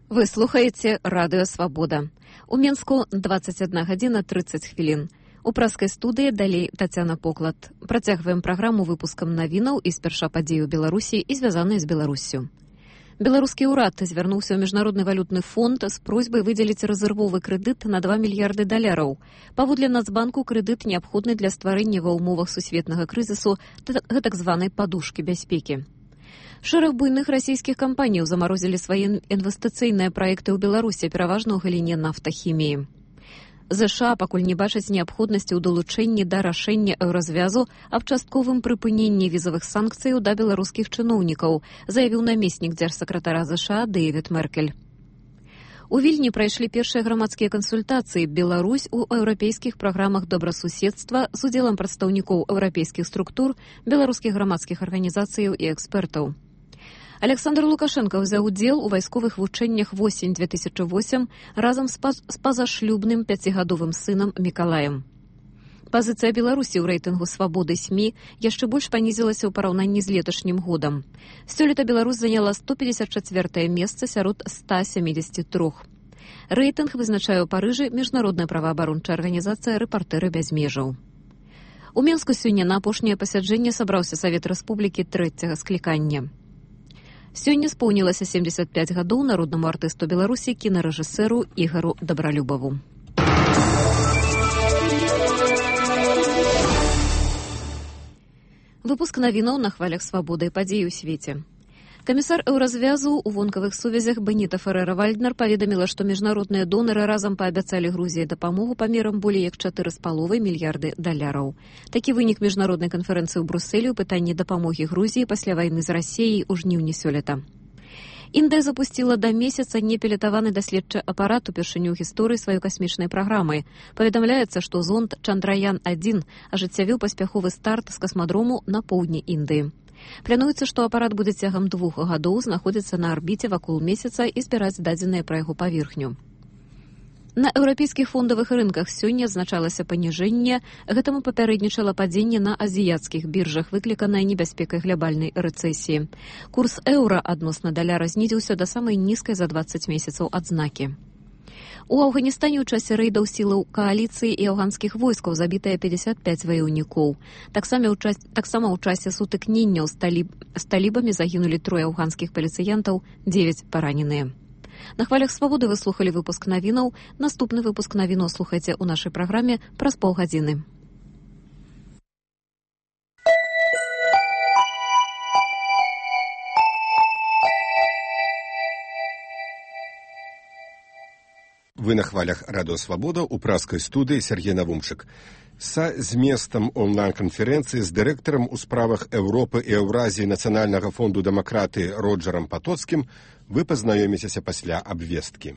Вы слухаеце радыё «Свабода». У Менску двадцать одна гадзіна тридцать хвілін. У праскай студыі далей Тацяна Поклад. Працягваем праграму выпускам навінаў і спярша падзеі ў Беларусі і звязаныя з Беларуссю. Беларускі ўрад звярнуўся ў Міжнародны валютны фонд з просьбай выдзеліць рэзервовы крэдыт на два мільярды даляраў. Паводле Нацбанку крэдыт неабходны для стварэння ва ўмовах сусветнага крызісу гэтак званай падушкі бяспекі. Шэраг буйных расійскіх кампаніяў замарозілі свае інвестыцыйныя праекты ў Беларусі, пераважна ў галіне нафтахіміі. ЗША пакуль не бачаць неабходнасці ў далучэнні да рашэння еўразвязу аб частковым прыпыненні візавых санкцыяў да беларускіх чыноўнікаў, заявіў намеснік дзяржсакратара ЗША Дэвід Меркель. У Вільні прайшлі першыя грамадскія кансультацыі «Беларусь» у еўрапейскіх праграмах добрасуседства з удзелам прадстаўнікоў еўрапейскіх структур, беларускіх грамадскіх арганізацыяў і экспертаў. Александр Лукашенко ўзяў удзел у вайсковых вучэннях восень две тысячи восемь разам з пазашлюбным пяцігадовым сынам Мікалаем. Пазіцыя Беларусі ў рэйтынгу свабоды СМІ яшчэ больш панізілася ў параўнанні з леташнім годам. Сёлета Беларусь заняла сто пятьдесят четвёртае месца сярод ста семидесяти трёх. Рэйтынг вызначае ў Парыжы міжнародная праваабарончая арганізацыя «Рэпартэры без межаў». У Менску сёння на апошняе пасяджэнне сабраўся Савет Рэспублікі трэцяга склікання. Сёння споўнілася семьдесят пять гадоў народнаму артысту Беларусі кінарэжысэру Ігару Дабралюбаву. Выпуск навінаў на хвалях свабоды і падзей у свеце. Камісар еўразвязу ў вонкавых сувязях Беніта Ферера-Вальднер паведаміла, што міжнародныя донары разам паабяцалі Грузіі дапамогу памерам болей як чатыры з паловай мільярды даляраў. Такі вынік міжнароднай канферэнцыі ў Брусэлі ў пытанні дапамогі Грузіі пасля вайны з Расіяй у жніўні сёлета. Індыя запусціла да месяца непілатаваны даследчы апарат упершыню ў гісторыі сваёй касмічнай праграмы. Паведамляецца, што зонд Чандраян адзін ажыццявіў паспяховы старт з касмадрому на поўдні Індыі. Плануецца, што апарат будзе цягам двух гадоў знаходзіцца на арбіце вакол месяца і збіраць дадзеныя пра яго паверхню. На еўрапейскіх фондавых рынках сёння адзначалася паніжэнне, гэтаму папярэднічала падзенне на азіяцкіх біржах, выкліканае небяспекай глобальнай рэцэсіі. Курс еўра адносна даляра знізіўся да самай нізкай за двадцать месяцаў адзнакі. У Афганістане ў часе рэйдаў сілаў кааліцыі і афганскіх войскаў забітыя пятьдесят пять ваяўнікоў. Таксама ў час, таксама ў часе сутыкненняў з, таліб, з талібамі загінулі трое афганскіх паліцыянтаў, девять параненыя. На хвалях свабоды вы слухалі выпуск навінаў. Наступны выпуск навінаў слухайце ў нашай праграме праз паўгадзіны. Вы на хвалях радыё «Свабода» у праскай студыі Сергей Навумчык. Са зместам онлайн-канферэнцыі з дырэктарам у справах Еўропы і Еўразіі Нацыянальнага фонду дэмакратыі Роджерам Патоцкім вы пазнаёміцеся пасля абвесткі.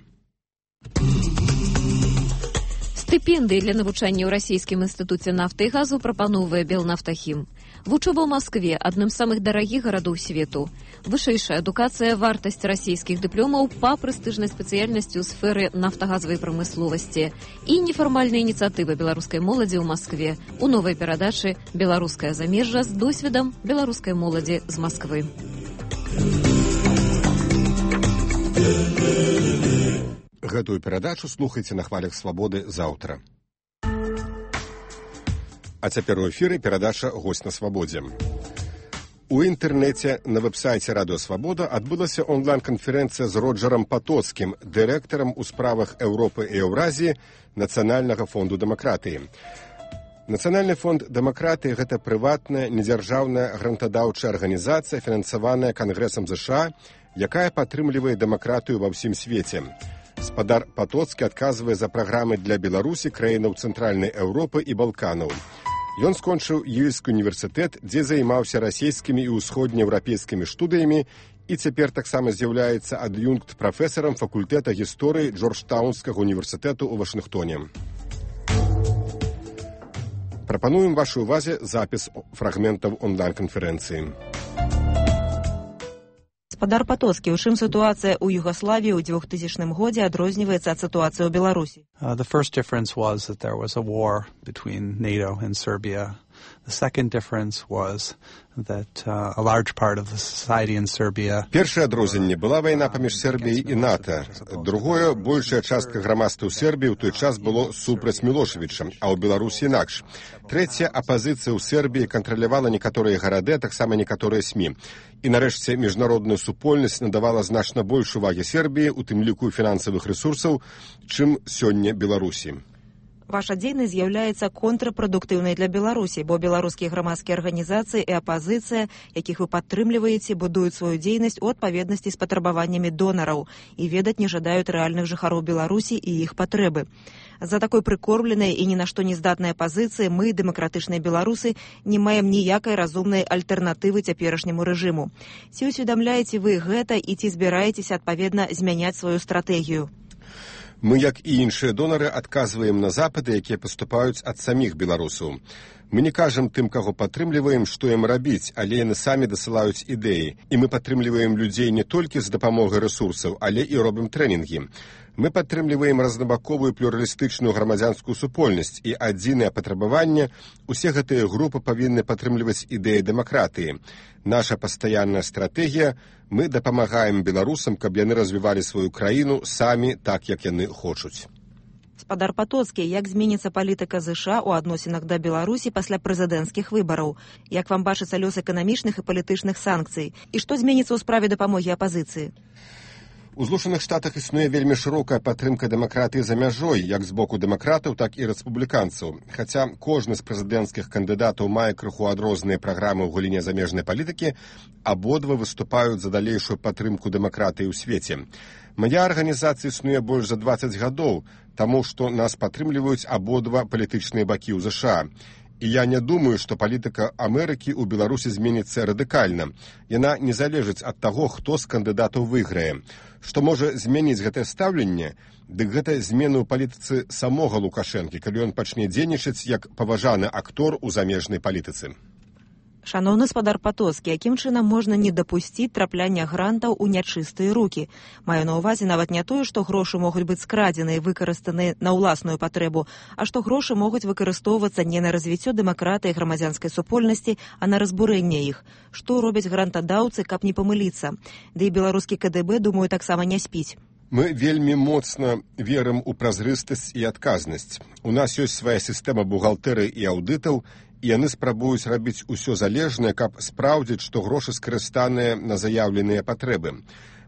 Стыпендыі для навучання ў расійскім інстытуце нафты і газу прапаноўвае Белнафтахім. Вучоба ў Маскве, адным з самых дарагіх гарадоў свету. Вышэйшая адукацыя, вартасць расійскіх дыпломаў па прэстыжнай спецыяльнасці ў сферы нафтагазавай прамысловасці і нефармальная ініцыятыва беларускай моладзі ў Маскве у новай перадачы «Беларускае замежжа» з досведам беларускай моладзі з Масквы. Гэтую перадачу слухайце на хвалях свабоды заўтра. А цяпер у эфіры перадача «Госць на свабодзе». У інтэрнэце на вэб-сайце «Радыё Свабода» адбылася онлайн-канферэнцыя з Роджерам Патоцкім, дырэктарам у справах Еўропы і Еўразіі Нацыянальнага фонду дэмакратыі. Нацыянальны фонд дэмакратыі – гэта прыватная, недзяржаўная грантадаўчая арганізацыя, фінансаваная Кангрэсам ЗША, якая падтрымлівае дэмакратыю ва ўсім свеце. Спадар Патоцкі адказвае за праграмы для Беларусі, краінаў Цэнтральнай Еўропы і Балканаў. Ён скончыў Ельскі універсітэт, дзе займаўся расійскімі і ўсходнееўрапейскімі студыямі і цяпер таксама з'яўляецца ад'юнкт прафесарам факультэта гісторыі Джорджтаунскага універсітэту ў Вашынгтоне. Прапануем вашай увазе запіс фрагментаў онлайн-канферэнцыі. Спадар Патоцкі, у чым сітуацыя ў Югаславіі ў двухтысячным годзе адрозніваецца ад сітуацыі ў Беларусі? Uh, the first difference was that there was a war between NATO and Serbia. The second difference was that uh, a large part of the society in Serbia... Першае адрозненне была вайна паміж Сербіяй і НАТО. Другое, большая частка грамадства ў Сербіі ў той час было супраць Мілошевіча, а ў Беларусі інакш. Трэцяе, апазіцыя ў Сербіі кантралявала некаторыя гарады, а таксама некаторыя СМІ. І нарэшце міжнародная супольнасць надавала значна больш увагі Сербіі, у тым ліку фінансавых рэсурсаў, чым сёння Беларусі. Ваша дзейнасць з'яўляецца контрапрадуктыўнай для Беларусі, бо беларускія грамадскія арганізацыі і апазіцыя, якіх вы падтрымліваеце, будуюць сваю дзейнасць у адпаведнасці з патрабаваннямі донараў і ведаць не жадаюць рэальных жыхароў Беларусі і іх патрэбы. За такой прыкормленай і ні на што не здатнай пазіцыі мы, дэмакратычныя беларусы, не маем ніякай разумнай альтэрнатывы цяперашняму рэжыму. Ці усведамляеце вы гэта і ці збіраецеся адпаведна змяняць сваю стратэгію? Мы, як і іншыя донары, адказваем на запыты, якія паступаюць ад саміх беларусаў. Мы не кажам тым, каго падтрымліваем, што ім рабіць, але яны самі дасылаюць ідэі. І мы падтрымліваем людзей не толькі з дапамогай рэсурсаў, але і робім трэнінгі. Мы падтрымліваем разнабаковую плюралістычную грамадзянскую супольнасць, і адзінае патрабаванне – усе гэтыя групы павінны падтрымліваць ідэі дэмакратыі. Наша пастаянная стратэгія – мы дапамагаем беларусам, каб яны развівалі сваю краіну самі так, як яны хочуць. Спадар Патоцкі, як зменіцца палітыка ЗША ў адносінах да Беларусі пасля прэзідэнцкіх выбараў? Як вам бачыцца лёс эканамічных і палітычных санкцый? І што зменіцца ў справе дапамогі апазіцыі? У Злучаных Штатах існуе вельмі шырокая падтрымка дэмакратыі за мяжой, як з боку дэмакратаў, так і рэспубліканцаў. Хаця кожны з прэзідэнцкіх кандыдатаў мае крыху адрозныя праграмы ў галіне замежнай палітыкі, абодва выступаюць за далейшую падтрымку дэмакратыі ў свеце. Мая арганізацыя існуе больш за дваццаць гадоў, таму што нас падтрымліваюць абодва палітычныя бакі ў ЗША. І я не думаю, што палітыка Амерыкі ў Беларусі зменіцца радыкальна. Яна не залежыць ад таго, хто з кандыдатаў выйграе. Што можа змяніць гэтае стаўленне? Дык гэта змены ў палітыцы самога Лукашэнкі, калі ён пачне дзейнічаць як паважаны актор у замежнай палітыцы. Шаноўны спадар Патоцкі, якім чынам можна не дапусціць трапляння грантаў у нячыстыя рукі? Маю на ўвазе нават не тое, што грошы могуць быць скрадзены і выкарыстаны на ўласную патрэбу, а што грошы могуць выкарыстоўвацца не на развіццё дэмакратыі і грамадзянскай супольнасці, а на разбурэнне іх. Што робяць грантадаўцы, каб не памыліцца? Ды і беларускі КДБ, думаю, таксама не спіць. Мы вельмі моцна верым у празрыстасць і адказнасць. У нас ёсць свая сістэма бухгалтэрыі і аўдытаў, і яны спрабуюць рабіць усё залежнае, каб спраўдзіць, што грошы скарыстаныя на заяўленыя патрэбы.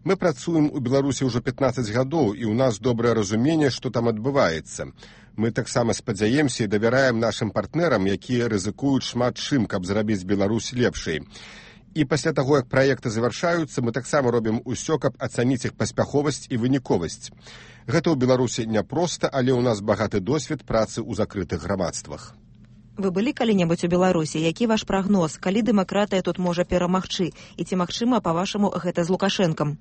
Мы працуем у Беларусі ўжо пятнаццаць гадоў, і ў нас добрае разуменне, што там адбываецца. Мы таксама спадзяемся і давяраем нашым партнерам, якія рызыкуюць шмат чым, каб зрабіць Беларусь лепшай. І пасля таго, як праекты завяршаюцца, мы таксама робім усё, каб ацаніць іх паспяховасць і выніковасць. Гэта ў Беларусі няпроста, але ў нас багаты досвед працы ў закрытых грамадствах. Вы былі калі-небудзь у Беларусі? Які ваш прагноз? Калі дэмакратыя тут можа перамагчы? І ці магчыма, па-вашаму, гэта з Лукашэнкам?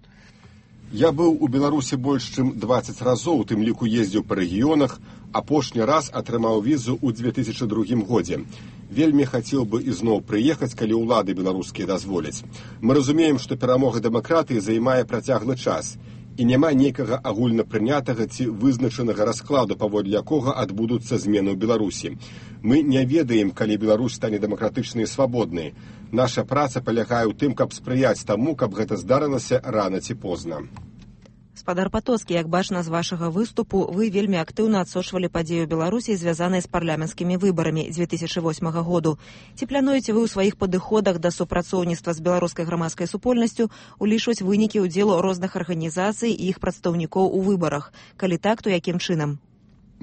Я быў у Беларусі больш чым дваццаць разоў, у тым ліку ездзіў па рэгіёнах, апошні раз атрымаў візу ў дзве тысячы другім годзе. Вельмі хацеў бы ізноў прыехаць, калі ўлады беларускія дазволяць. Мы разумеем, што перамога дэмакратыі займае працяглы час. І няма нейкага агульнапрынятага ці вызначанага раскладу, паводле якога адбудуцца змены ў Беларусі. Мы не ведаем, калі Беларусь стане дэмакратычнай і свабоднай. Наша праца палягае ў тым, каб спрыяць таму, каб гэта здарылася рана ці позна. Спадар Патоцкі, як бачна з вашага выступу, вы вельмі актыўна адсочвалі падзею Беларусі, звязаныя з парламенцкімі выбарамі дзве тысячы восьмага году. Ці плануеце вы ў сваіх падыходах да супрацоўніцтва з беларускай грамадскай супольнасцю улічваць вынікі ўдзелу розных арганізацый і іх прадстаўнікоў у выбарах? Калі так, то якім чынам?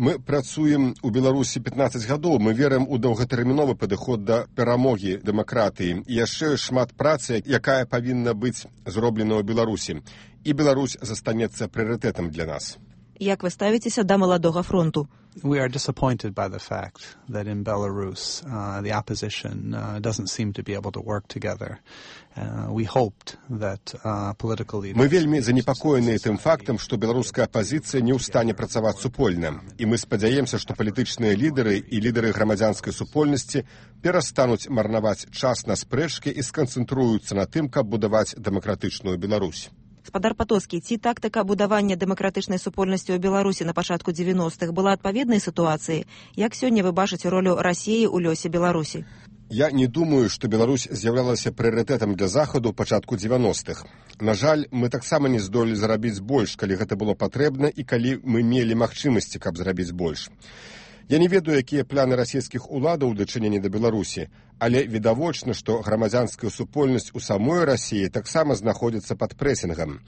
Мы працуем у Беларусі пятнаццаць гадоў, мы верым у доўгатэрміновы падыход да перамогі дэмакратыі і яшчэ шмат працы, якая павінна быць зроблена ў Беларусі. І Беларусь застанецца прыярытэтам для нас. Як вы ставіцеся да маладога фронту? We are disappointed by the fact that in Belarus uh, the opposition uh, doesn't seem to be able to work together. Uh, we hoped that uh, political leaders... Мы вельмі занепакоеныя тым фактам, што беларуская апазіцыя не ў стане працаваць супольна. І мы спадзяемся, што палітычныя лідары і лідары грамадзянскай супольнасці перастануць марнаваць час на спрэчкі і сканцэнтруюцца на тым, каб будаваць дэмакратычную Беларусь. Спадар Патоцкі, ці тактыка будавання дэмакратычнай супольнасці ў Беларусі на пачатку дзевяностых была адпаведнай сітуацыі? Як сёння вы бачыце ролю Расіі ў лёсе Беларусі? Я не думаю, што Беларусь з'яўлялася прыярытэтам для Захаду ў пачатку дзевяностых. На жаль, мы таксама не здолелі зарабіць больш, калі гэта было патрэбна і калі мы мелі магчымасці, каб зарабіць больш. Я не ведаю, якія планы расійскіх уладаў у дачыненні да Беларусі, але відавочна, што грамадзянская супольнасць у самой Расіі таксама знаходзіцца пад прэсінгам.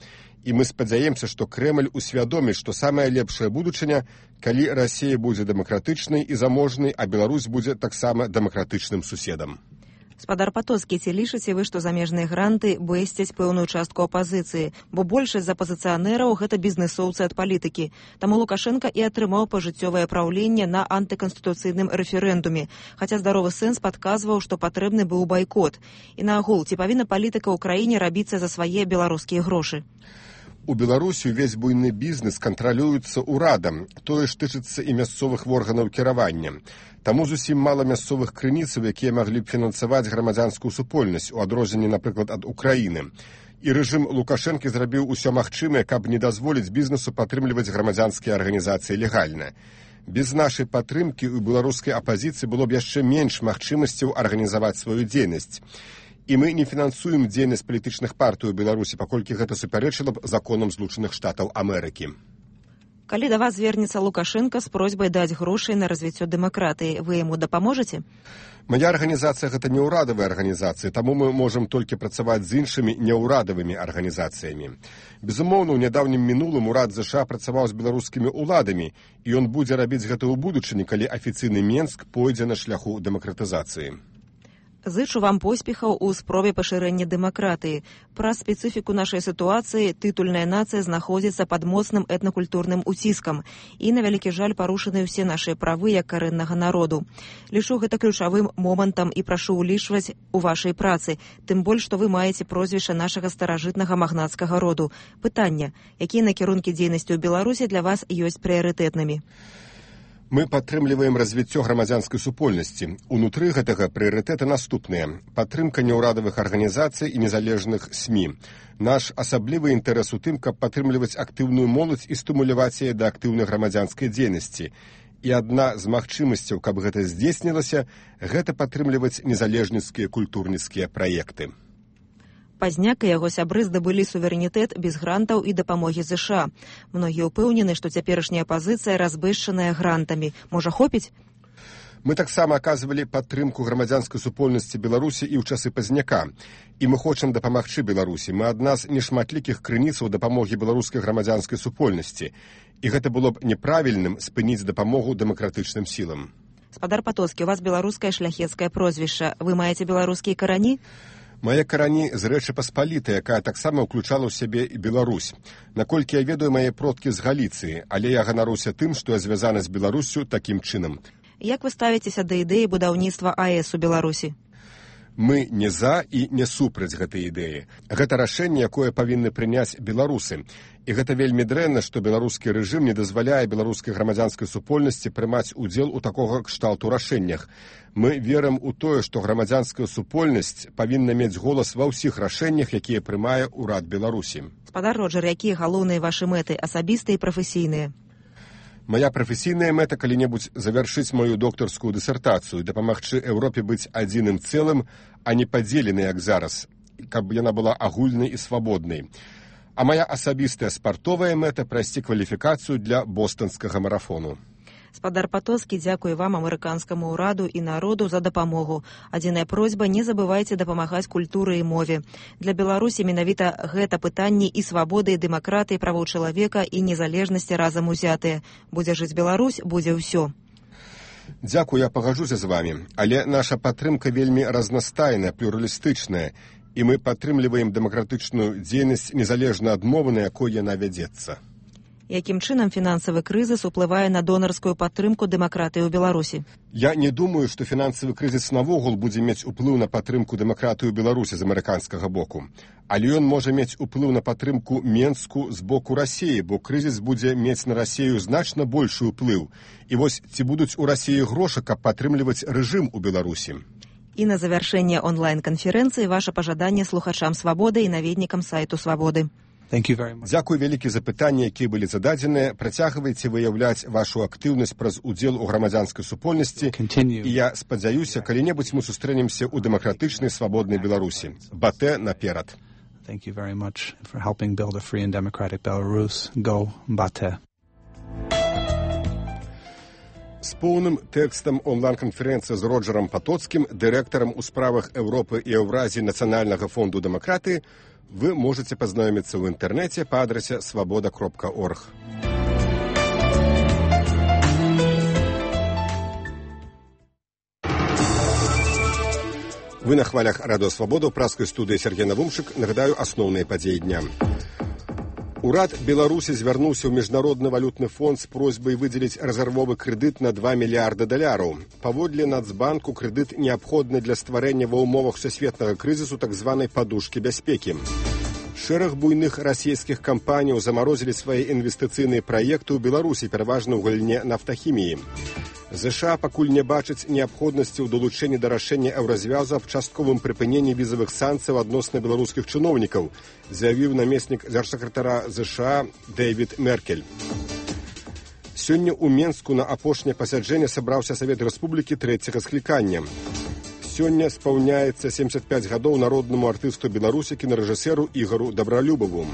І мы спадзяемся, што Крэмль усвядоміць, што самая лепшая будучыня, калі Расія будзе дэмакратычнай і заможнай, а Беларусь будзе таксама дэмакратычным суседам. Спадар Патоцкі, ці лічыце вы, што замежныя гранты бэсцяць пэўную частку апазіцыі, бо большасць з апазіцыянераў гэта бізнэсоўцы ад палітыкі. Таму Лукашенка і атрымаў пажыццёвае праўленне на антыканстытуцыйным рэферэндуме, хаця здаровы сэнс падказваў, што патрэбны быў байкот. І наогул, ці павінна палітыка ў краіне рабіцца за свае беларускія грошы? У Беларусі ўвесь буйны бізнес кантралюецца ўрадам, тое ж тычыцца і мясцовых органаў кіравання. Таму зусім мала мясцовых крыніцаў, якія маглі б фінансаваць грамадзянскую супольнасць, у адрозненні, напрыклад, ад Украіны. І рэжым Лукашэнкі зрабіў усё магчымае, каб не дазволіць бізнесу падтрымліваць грамадзянскія арганізацыі легальна. Без нашай падтрымкі ў беларускай апазіцыі было б яшчэ менш магчымасцяў арганізаваць сваю дзейнасць. І мы не фінансуем дзейнасць палітычных партый у Беларусі, паколькі гэта супярэчыла б законам Злучаных Штатаў Амерыкі. Калі да вас звернецца Лукашенка з просьбай даць грошай на развіццё дэмакратыі, вы яму дапаможаце? Мая арганізацыя гэта не ўрадавая арганізацыя, таму мы можам толькі працаваць з іншымі неўрадавымі арганізацыямі. Безумоўна, ў нядаўнім мінулым урад ЗША працаваў з беларускімі ўладамі, і ён будзе рабіць гэта ў будучыні, калі афіцыйны Менск пойдзе на шляху дэмакратызацыі. Зычу вам поспехаў у спробе пашырэння дэмакратыі. Праз спецыфіку нашай сітуацыі тытульная нацыя знаходзіцца пад моцным этнакультурным уціскам і, на вялікі жаль, парушаны ўсе нашыя правы як карэннага народу. Лічу гэта ключавым момантам і прашу ўлічваць у вашай працы, тым больш, што вы маеце прозвішча нашага старажытнага магнацкага роду. Пытанне, якія накірункі дзейнасці ў Беларусі для вас ёсць прыярытэтнымі? Мы падтрымліваем развіццё грамадзянскай супольнасці. Унутры гэтага прыярытэты наступныя. Падтрымка неўрадавых арганізацый і незалежных СМІ. Наш асаблівы інтарэс у тым, каб падтрымліваць актыўную моладзь і стымуляваць яе да актыўнай грамадзянскай дзейнасці. І адна з магчымасцяў, каб гэта здзейснілася, гэта падтрымліваць незалежніцкія культурніцкія праекты. Пазняк і яго сябры здабылі суверэнітэт без грантаў і дапамогі ЗША. Многія ўпэўнены, што цяперашняя апазіцыя разбэшчаная грантамі. Можа, хопіць? Мы таксама аказвалі падтрымку грамадзянскай супольнасці Беларусі і ў часы Пазняка. І мы хочам дапамагчы Беларусі. Мы адна з нешматлікіх крыніцаў дапамогі беларускай грамадзянскай супольнасці. І гэта было б неправільным спыніць дапамогу дэмакратычным сілам. Спадар Патоцкі, у вас беларускае шляхецкае прозвішча. Вы маеце беларускія карані? Мае карані з Рэчы Паспалітай, якая таксама ўключала ў сябе і Беларусь. Наколькі я ведаю, мае продкі з Галіцыі, але я ганаруся тым, што я звязана з Беларуссю такім чынам. Як вы ставіцеся да ідэі будаўніцтва АЭС у Беларусі? Мы не за і не супраць гэтай ідэі. Гэта рашэнне, якое павінны прыняць беларусы. І гэта вельмі дрэнна, што беларускі рэжым не дазваляе беларускай грамадзянскай супольнасці прымаць удзел у такога кшталту рашэннях. Мы верым у тое, што грамадзянская супольнасць павінна мець голас ва ўсіх рашэннях, якія прымае ўрад Беларусі. Спадар Роджер, якія галоўныя вашы мэты, асабістыя і прафесійныя? Мая прафесійная мэта калі-небудзь завяршыць маю доктарскую дысертацыю, дапамагчы Еўропе быць адзіным цэлым, а не падзеленай, як зараз, каб яна была агульнай і свабоднай. А моя асабістая спартовая мэта прайсці кваліфікацыю для бостанскага марафону. Спадар Патоцкі дзякуе вам, амерыканскаму ўраду і народу, за дапамогу. Адзіная просьба: не забывайце дапамагаць культуры і мове. Для Беларусі менавіта гэта пытанні і свабоды, і дэмакратыі, правоў чалавека і незалежнасці разам узятыя. Будзе жыць Беларусь, будзе ўсё. Дзякую, я пагаджуся з вамі, але наша падтрымка вельмі разнастайная, плюралістычная, і мы падтрымліваем дэмакратычную дзейнасць незалежна ад мовы, на якой яна вядзецца. Якім чынам фінансавы крызіс уплывае на донарскую падтрымку дэмакратыі ў Беларусі? Я не думаю, што фінансавы крызіс навогул будзе мець уплыў на падтрымку дэмакратыі ў Беларусі з амерыканскага боку. Але ён можа мець уплыў на падтрымку Менску з боку Расіі, бо крызіс будзе мець на Расію значна большы ўплыў. І вось ці будуць у Расіі грошы, каб падтрымліваць рэжым у Беларусі? І на завяршэнне онлайн-канферэнцыі ваша пажаданне слухачам «Свабоды» і наведнікам сайту «Свабоды». Дзякуй вялікі за пытанні, якія былі зададзеныя. Працягвайце выяўляць вашу актыўнасць праз удзел у грамадзянскай супольнасці. І я спадзяюся, калі-небудзь мы сустрэнемся ў дэмакратычнай свабоднай Беларусі. Батэ наперад. Thank you very much for helping build a free and democratic Belarus. Go Bate. З поўным тэкстам онлайн-канферэнцыі з Роджерам Патоцкім, дырэктарам у справах Еўропы і Еўразіі Нацыянальнага фонду дэмакратыі, вы можете познаёмиться в интернете по адресе свобода кропка орг. Вы на хвалях Радио Свобода, ў праскай студыі Сергей Навумчык. Нагадаю асноўныя падзеі дня. Урад Беларусі звярнуўся ў Міжнародны валютны фонд з просьбай выдзеліць рэзервовы крэдыт на два мільярда даляраў. Паводле Нацбанку крэдыт неабходны для стварэння ва ўмовах сусветнага крызісу так званай падушкі бяспекі. Шэраг буйных расійскіх кампаніяў замарозілі свае інвестыцыйныя праекты ў Беларусі, пераважна ў галіне нафтахіміі. ЗША пакуль не бачыць неабходнасці ў далучэнні да рашэння еўразвязу аб частковым прыпыненні візавых санкцый адносна беларускіх чыноўнікаў, заявіў намеснік дзяржсакратара ЗША Дэвід Меркель. Сёння ў Менску на апошняе пасяджэнне сабраўся Савет Рэспублікі трэцяга склікання. Сёння спаўняецца семдзесят пяць гадоў народнаму артысту Беларусі, кінарэжысэру Ігару Дабралюбаву.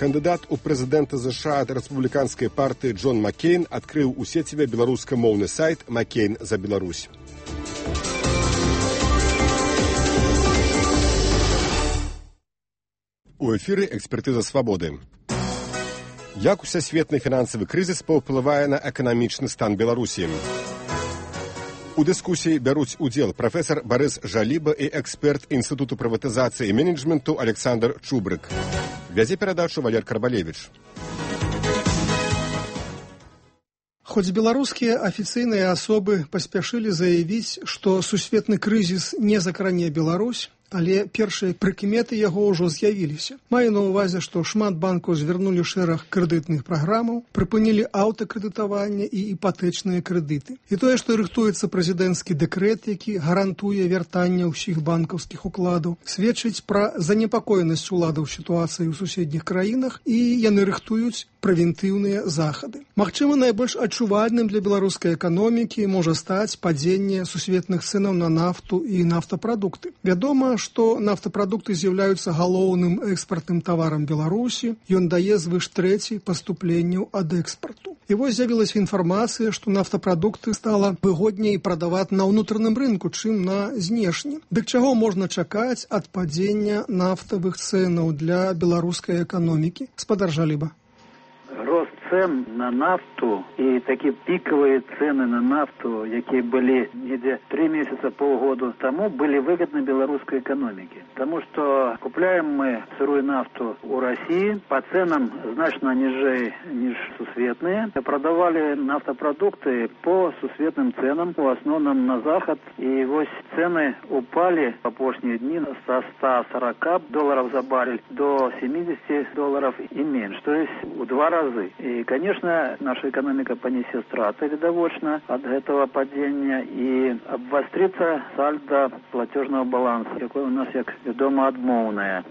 Кандыдат у прэзідэнта ЗША ад рэспубліканскай партыі Джон Маккейн адкрыў у сеціве беларускамоўны сайт «Маккейн за Беларусь». У эфіры «Экспертыза свабоды». Як усесветны фінансавы крызіс паўплывае на эканамічны стан Беларусі? У дыскусіі бяруць удзел прафесар Барыс Жаліба і эксперт Інстытуту прыватызацыі і менеджменту Александр Чубрык. Вядзе перадачу Валер Карбалевич. Хоць беларускія афіцыйныя асобы паспяшылі заявіць, што сусветны крызіс не закране Беларусь, але першыя прыкметы яго ўжо з'явіліся. Маю на ўвазе, што шмат банкаў звярнулі шэраг крэдытных праграмаў, прыпынілі аўтакрэдытаванне і іпатэчныя крэдыты. І тое, што рыхтуецца прэзідэнцкі дэкрэт, які гарантуе вяртанне ўсіх банкаўскіх укладаў, сведчыць пра занепакоенасць уладаў сітуацыі ў суседніх краінах, і яны рыхтуюць прэвентыўныя захады. Магчыма, найбольш адчувальным для беларускай эканомікі можа стаць падзенне сусветных цэнаў на нафту і нафтапрадукты. Вядома, што нафтапрадукты з'яўляюцца галоўным экспартным таварам Беларусі, ён дае звыш трэці паступленняў ад экспарту. І вось з'явілася інфармацыя, што нафтапрадукты стала выгодней прадаваць на ўнутраным рынку, чым на знешні. Дык чаго можна чакаць ад падзення нафтавых цэнаў для беларускай эканомікі? Спадар Жаліба. Рост цен на нафту и такие пиковые цены на нафту, которые были где три месяца, полгода тому, были выгодны белорусской экономике. Потому что купляем мы сырую нафту у России по ценам значно ниже, ниже сусветные. Продавали нафтопродукты по сусветным ценам, в основном на Запад. И вот цены упали в последние дни со ста сорока долларов за баррель до семидесяти долларов и меньше. То есть в два раза. И, конечно, наша экономика понесет страты видовочно от этого падения и обострится сальдо платежного баланса, якое у нас, як вядома, адмоўнае.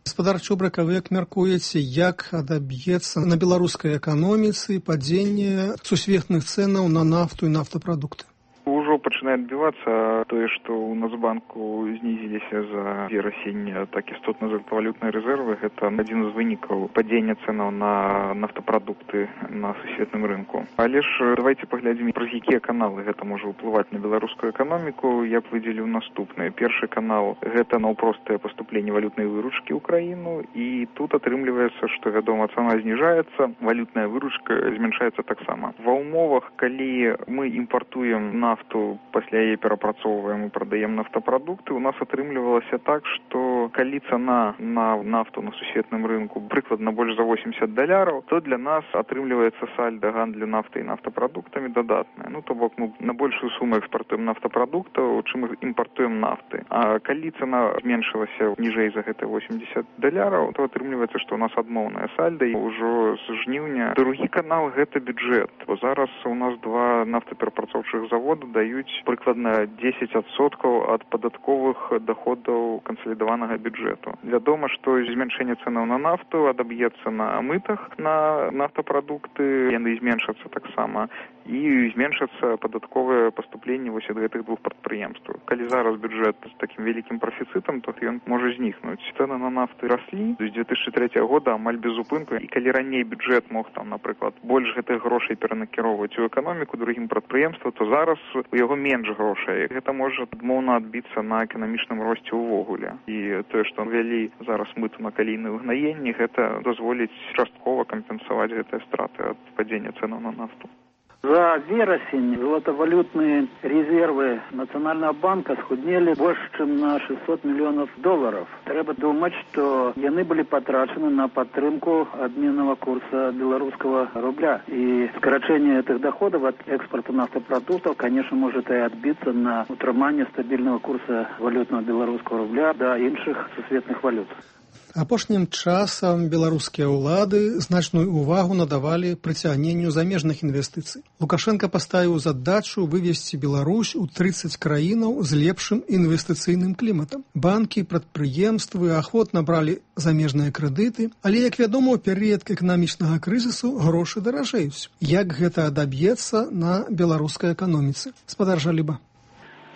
Гаспадар Чубрык, вы як мяркуеце, як адаб'ецца на беларускай эканоміцы падзенне сусветных цэнаў на нафту і нафтапрадукты? Уже ўжо пачынае адбівацца тое, што ў Нацбанку знізіліся за верасень так істотна золатавалютныя рэзервы. Гэта адзін з вынікаў падзення цэнаў на нафтапрадукты на сусветным рынку. Але ж давайте паглядзім, праз якія каналы гэта можа ўплываць на беларускую эканоміку. Я б выдзеліў наступнае. Першы канал – гэта наўпростае паступленне валютнай выручкі ў краіну, і тут атрымліваецца, што, вядома, цана зніжаецца, валютная выручка змяншаецца таксама. Ва ўмовах, калі мы імпартуем нафту, пасля яе перапрацоўваем і прадаем нафтапрадукты, у нас атрымлівалася так, што калі цана на нафту на сусветным рынку прыкладна больш за восемьдесят даляраў, то для нас атрымліваецца сальда гандлю нафтай і нафтапрадуктамі дадатная. Ну, то бок мы на большую суму экспартуем нафтапрадуктаў, чым імпартуем нафты. А калі цана зменшылася ніжэй за гэта восемьдесят даляраў, то атрымліваецца, што у нас адмоўная сальда, і ўжо з жніўня. Другі канал – гэта бюджэт. Бо зараз у нас два нафтаперапрацоўчых завода даюць прыкладна дзесяць адсоткаў ад падатковых даходаў кансалідаванага бюджэту. Вядома, што змяншэнне цэнаў на нафту адаб'ецца на мытах на нафтапрадукты, яны зменшацца таксама, і зменшацца падатковыя паступленні вось ад гэтых двух прадпрыемстваў. Калі зараз бюджэт з такім вялікім прафіцытам, то ён можа знікнуць. Цэны на нафты раслі з две тысячы трэцяга года амаль без упынку, і калі раней бюджэт мог там, напрыклад, больш гэтых грошай перанакіроўваць у эканоміку другім прадпрыемствам, то зараз у яго менш грошай. Гэта можа адмоўна адбіцца на эканамічным росце ўвогуле. І тое, што ввялі зараз мыту на калійныя ўгнаенні, гэта дазволіць часткова кампенсаваць гэтыя страты ад падзення цэнаў на нафту. За верасень золотовалютные резервы Национального банка схуднели больше, чем на шестьсот миллионов долларов. Треба думать, что яны были потрачены на подтримку обменного курса белорусского рубля. И сокращение этих доходов от экспорта нафтопродуктов, конечно, может и отбиться на утрымании стабильного курса валютного белорусского рубля до іншых сусветных валют. Апошнім часам беларускія ўлады значную ўвагу надавалі прыцягненню замежных інвестыцый. Лукашенко паставіў задачу вывесці Беларусь у тридцать краінаў з лепшым інвестыцыйным кліматам. Банкі, прадпрыемствы ахвотна бралі замежныя крэдыты, але, як вядома, у перыяд эканамічнага крызісу грошы даражэюць. Як гэта адаб'ецца на беларускай эканоміцы? Спадар Жаліба.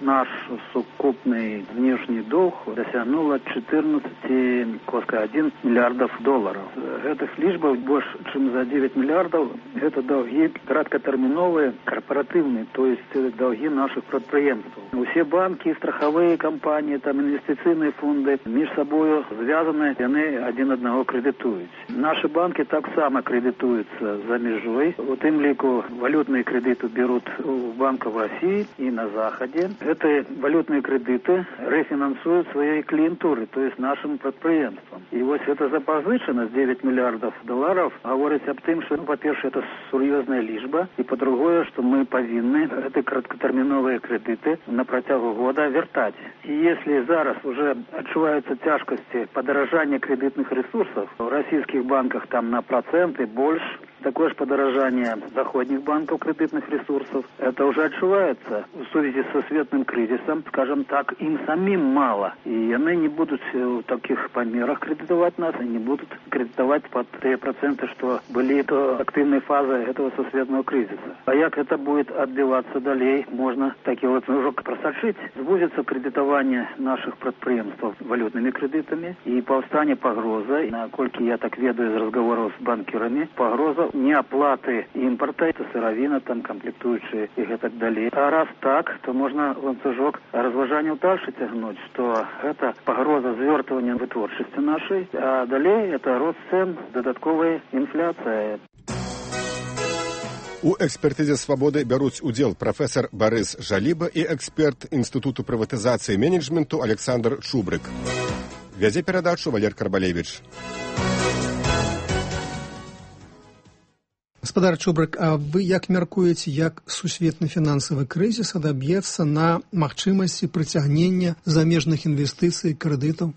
Наш сукупный внешний долг досягнула четырнадцать целых один миллиардов долларов. Этих лишбов больше, чем за девять миллиардов, это долги краткотерминовые, корпоративные, то есть долги наших предприятий. Все банки, страховые компании, там инвестиционные фонды между собой связаны, и они один одного кредитуют. Наши банки так само кредитуются за межой. Вот им лику валютные кредиты берут у банков в России и на Заходе. Эти валютные кредиты рефинансуют своей клиентуры, то есть нашим предприятиям. И вот эта запозыченность девять миллиардов долларов говорит об том, что, ну, во-первых, это серьезная лишба, и по-другое, что мы повинны эти краткотерминовые кредиты на протягу года вертать. И если зараз уже отчуваются тяжкости подорожания кредитных ресурсов, в российских банках там на проценты больше, такое же подорожание заходних банков кредитных ресурсов, это уже отчувается в связи со светным кризисом, скажем так, им самим мало. И они не будут в таких померах кредитовать нас, и не будут кредитовать под те проценты, что были до активной фазы этого сосветного кризиса. А как это будет отбиваться далее, можно такие вот уже просочить. Сбудется кредитование наших предприятий валютными кредитами, и повстане погроза, насколько я так ведаю из разговоров с банкирами, погроза неоплаты импорта, это сыровина, там комплектующие и так далее. А раз так, то можно ланцужок разважанию дальше тягнуть, что это погроза звертывания вытворчести нашей, а далее это рост цен, додатковая инфляция. У экспертызе «Свабоды» бяруць удзел прафесор Барыс Жаліба і эксперт Інстытуту прыватызацыі і менеджменту Александр Чубрык. Вядзе перадачу Валер Карбалевич. Гаспадар Чубрык, а вы як мяркуеце, як сусветны фінансавы крызіс адаб'ецца на магчымасці прыцягнення замежных інвестыцый і крэдытаў?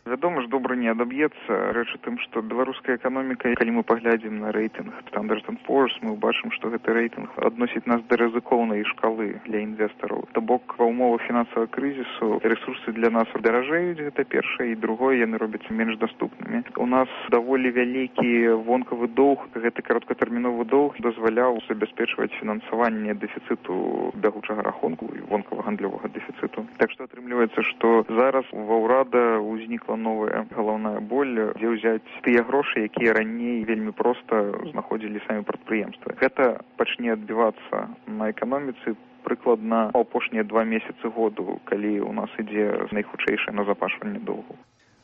Вядома ж, добра не не адаб'ецца. Рэч у тым, што беларуская эканоміка, калі мы паглядзім на рэйтынг Standard энд Poor's, мы бачым, што гэты рэйтынг адносіць нас да рызыкоўнай шкалы для інвестараў. То бок ва ўмовах фінансавага крызісу ресурсы для нас даражэюць, гэта першае, і другое, яны робяцца менш даступнымі. У нас даволі вялікі вонкавы доўг, гэты кароткатэрміновы доўг дазваляў забяспечваць фінансаванне дэфіцыту бягучага рахунку і вонкава-гандлёвага дэфіцыту. Так што атрымліваецца, што зараз ва ўрада ўзнікла новая галаўная боль, дзе ўзяць тыя грошы, якія раней вельмі проста знаходзілі самі прадпрыемствы. Гэта пачне адбівацца на эканоміцы прыкладна апошнія два месяцы году, калі ў нас ідзе найхутчэйшае назапашванне доўгу.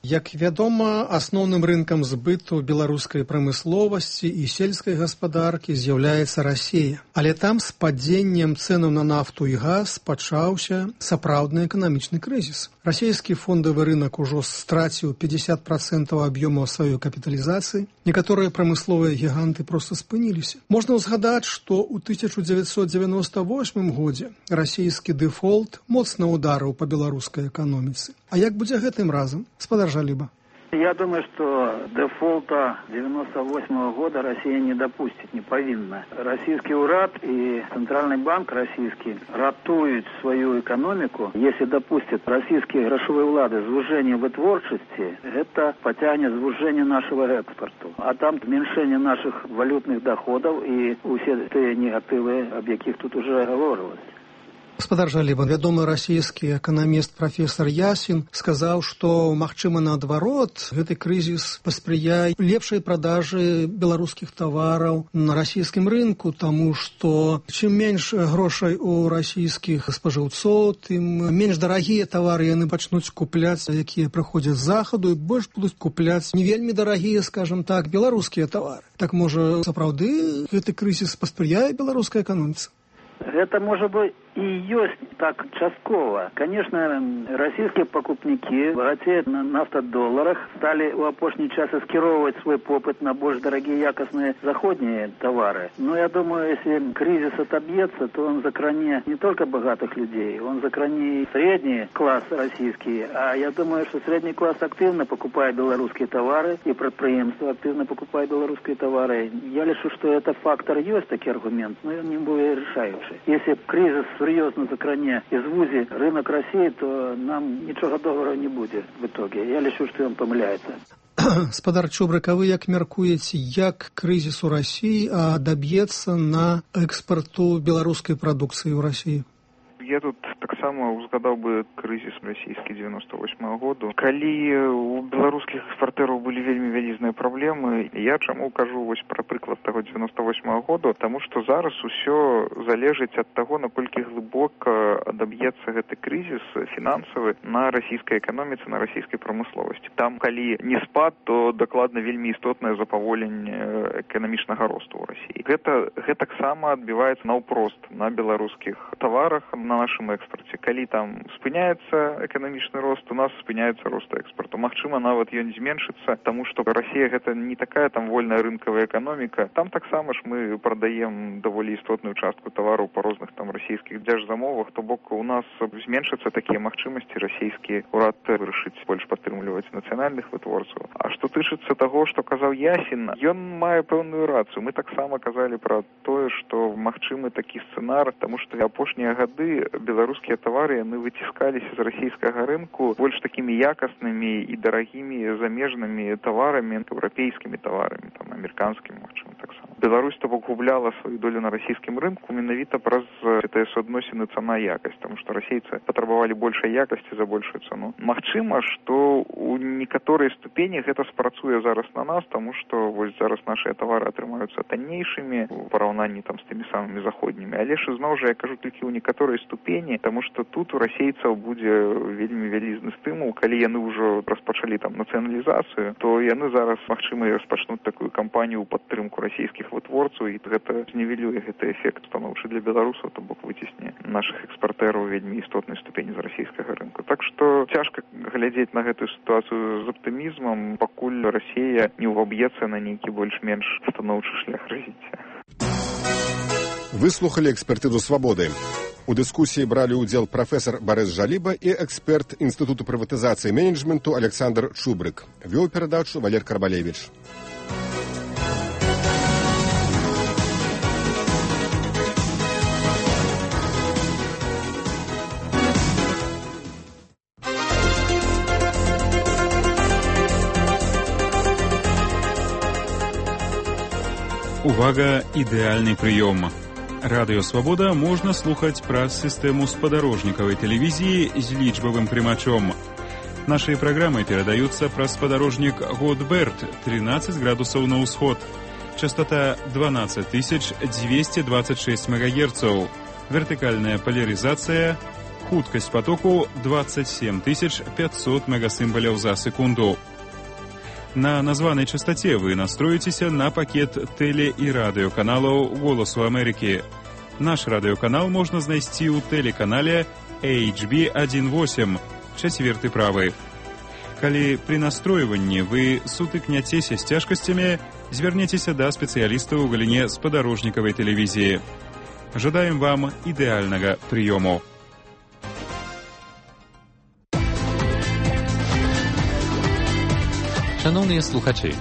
Як вядома, асноўным рынкам збыту беларускай прамысловасці і сельскай гаспадаркі з'яўляецца Расія. Але там з падзеннем цэнаў на нафту і газ пачаўся сапраўдны эканамічны крызіс. Расійскі фондавы рынок ужо страціў пятьдесят процентов аб'ёмаў сваёй капіталізацыі. Некаторыя прамысловыя гіганты проста спыніліся. Можна ўзгадаць, што ў тысяча дзевяцьсот дзевяноста восьмым годзе расійскі дэфолт моцна ударыў па беларускай эканоміцы. А як будзе гэтым разам? Спадар Жалиба. Я думаю, что дефолта девяносто восьмого года Россия не допустит, не повинна. Российский уряд и Центральный банк российский ратуют свою экономику. Если допустят российские грошовые влады звужение вытворчести, это потянет звужение нашего экспорта. А там уменьшение наших валютных доходов и все те негативы, об яких тут уже говорилось. Гаспадар Жаліба, вядомы расійскі эканаміст прафесор Ясін сказаў, што, магчыма, наадварот, гэты крызіс паспрыяе лепшай продажы беларускіх тавараў на расійскім рынку, таму што чым менш грошай у расійскіх спажыўцоў, тым менш дарагія тавары яны пачнуць купляць, якія прыходзяць з захаду, і больш будуць купляць не вельмі дарагія, скажам так, беларускія тавары. Так, можа, сапраўды гэты крызіс паспрыяе беларускай эканоміцы? Это, может быть, и есть так частково. Конечно, российские покупники богатеют на нафтодолларах, стали в опошний час скировывать свой попыт на больше дорогие якостные заходние товары. Но я думаю, если кризис отобьется, то он закранит не только богатых людей, он закранит средний класс российский. А я думаю, что средний класс активно покупает белорусские товары, и предприятия активно покупают белорусские товары. Я лишу, что это фактор есть, такой аргумент, но он не будет решающий. Если кризис серьезно закране и звузи рынок России, то нам ничего доброго не будет в итоге. Я лишу, что он помыляется. Спадар Чубрык, а вы як мяркуеце, як крызіс у Расіі адаб'ецца на экспарту беларускай прадукцыі ў Расіі? Я тут таксама узгадаў бы крызіс расійскі девяносто восьмого году. Калі у беларускіх экспартэраў былі вельмі вялізныя праблемы, я чаму кажу вось пра прыклад таго девяносто восьмого году, таму што зараз усё залежыць ад таго, наколькі глыбока адаб'ецца гэты крызіс фінансавы на расійскай эканоміцы, на расійскай прамысловасці. Там, калі не спад, то дакладна вельмі істотнае запаволенне эканамічнага росту ў Расіі. Гэта гэтаксама адбіваецца наўпрост на беларускіх таварах, на нашым экспорце. Калі там спыняецца эканамічны рост, у нас спыняецца рост экспорту. Магчыма, нават ён зменшыцца, таму што Расія гэта не такая там вольная рынкавая эканоміка. Там таксама ж мы прадаем даволі істотную частку тавараў па розных там расійскіх дзяржзамовах, то бок у нас зменшацца такія магчымасці, расійскі урад вырашыць больш падтрымліваць нацыянальных вытворцаў. А што тычыцца таго, што казаў Ясін, ён мае пэўную рацыю. Мы таксама казалі пра тое, што магчымы такі сцэнар, таму што апошнія гады беларускія тавары яны выціскаліся з расійскага рынку больш такімі якаснымі і дарагімі замежнымі таварамі, еўрапейскімі таварамі, там амерыканскімі, магчыма, таксама. Беларусь то бок губляла сваю долю на расійскім рынку менавіта праз гэтыя суадносіны цана-якасць, таму што расейцы патрабавалі большай якасці за большую цану. Магчыма, што у некаторай ступені гэта спрацуе зараз на нас, таму што вось зараз нашыя тавары атрымаюцца таннейшымі у параўнанні там з тымі самымі заходнімі. Але ж зноў жа я кажу толькі ў некаторай ступені, таму што тут у расейцаў будзе вельмі вялізны стымул, калі яны ўжо распачалі там нацыяналізацыю, то яны зараз, магчыма, распачнуць такую кампанію ў падтрымку расійскіх вытворцаў, і гэта знівелюе гэты эфект станоўчы для беларусаў, то бок выцісне нашых экспартэраў вельмі істотнай ступені з расійскага рынку. Так што цяжка глядзець на гэтую сітуацыю з аптымізмам, пакуль Расія не ўваб'ецца на нейкі больш-менш станоўчы шлях развіцця. Выслухалі экспертызу «Свободы». У дыскусіі бралі ўдзел прафесар Барэс Жаліба і эксперт Інстытуту прыватызацыі і менеджменту Александр Чубрык. Вёў перадачу Валер Карбалевіч. Увага, ідэальны прыём. Радыё Свабода можна слухаць праз сістэму спадарожнікавай тэлевізіі з лічбавым прымачом. Нашыя праграмы перадаюцца праз спадарожнік Годберт, тринадцать градусаў на ўсход. Частота дванадцать тысяч двести двадцать шесть мегагерцаў. Вертыкальная поляризация. Хуткасць потоку двадцать семь тысяч пятьсот мегасімбаляў за секунду. На названай частоце вы настроіцеся на пакет тэле- і радыёканалаў «Голасу Амерыкі». Наш радыёканал можна знайсці ў тэлеканале эйч би один восемь, чацверты правы. Калі пры настройванні вы сутыкняцеся з цяжкасцямі, звярнецеся да спецыялістаў у галіне спадарожнікавай тэлевізіі. Жадаем вам ідэальнага прыёму. Шановні слухачі,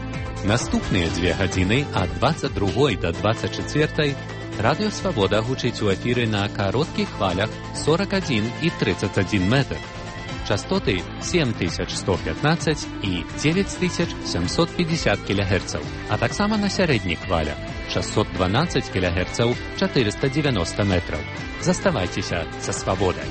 наступныя две гадзіны ад двадцать другой до двадцать четвертой Радыё Свабода гучыць у эфіры на кароткіх хвалях сорок один и тридцать один метр. Частоты семь тысяч сто пятнадцать и девять тысяч семьсот пятьдесят килогерцаў, а таксама на сярэдніх хвалях шестьсот двенадцать килогерцаў, четыреста девяносто метров. Заставайцеся са Свабодай.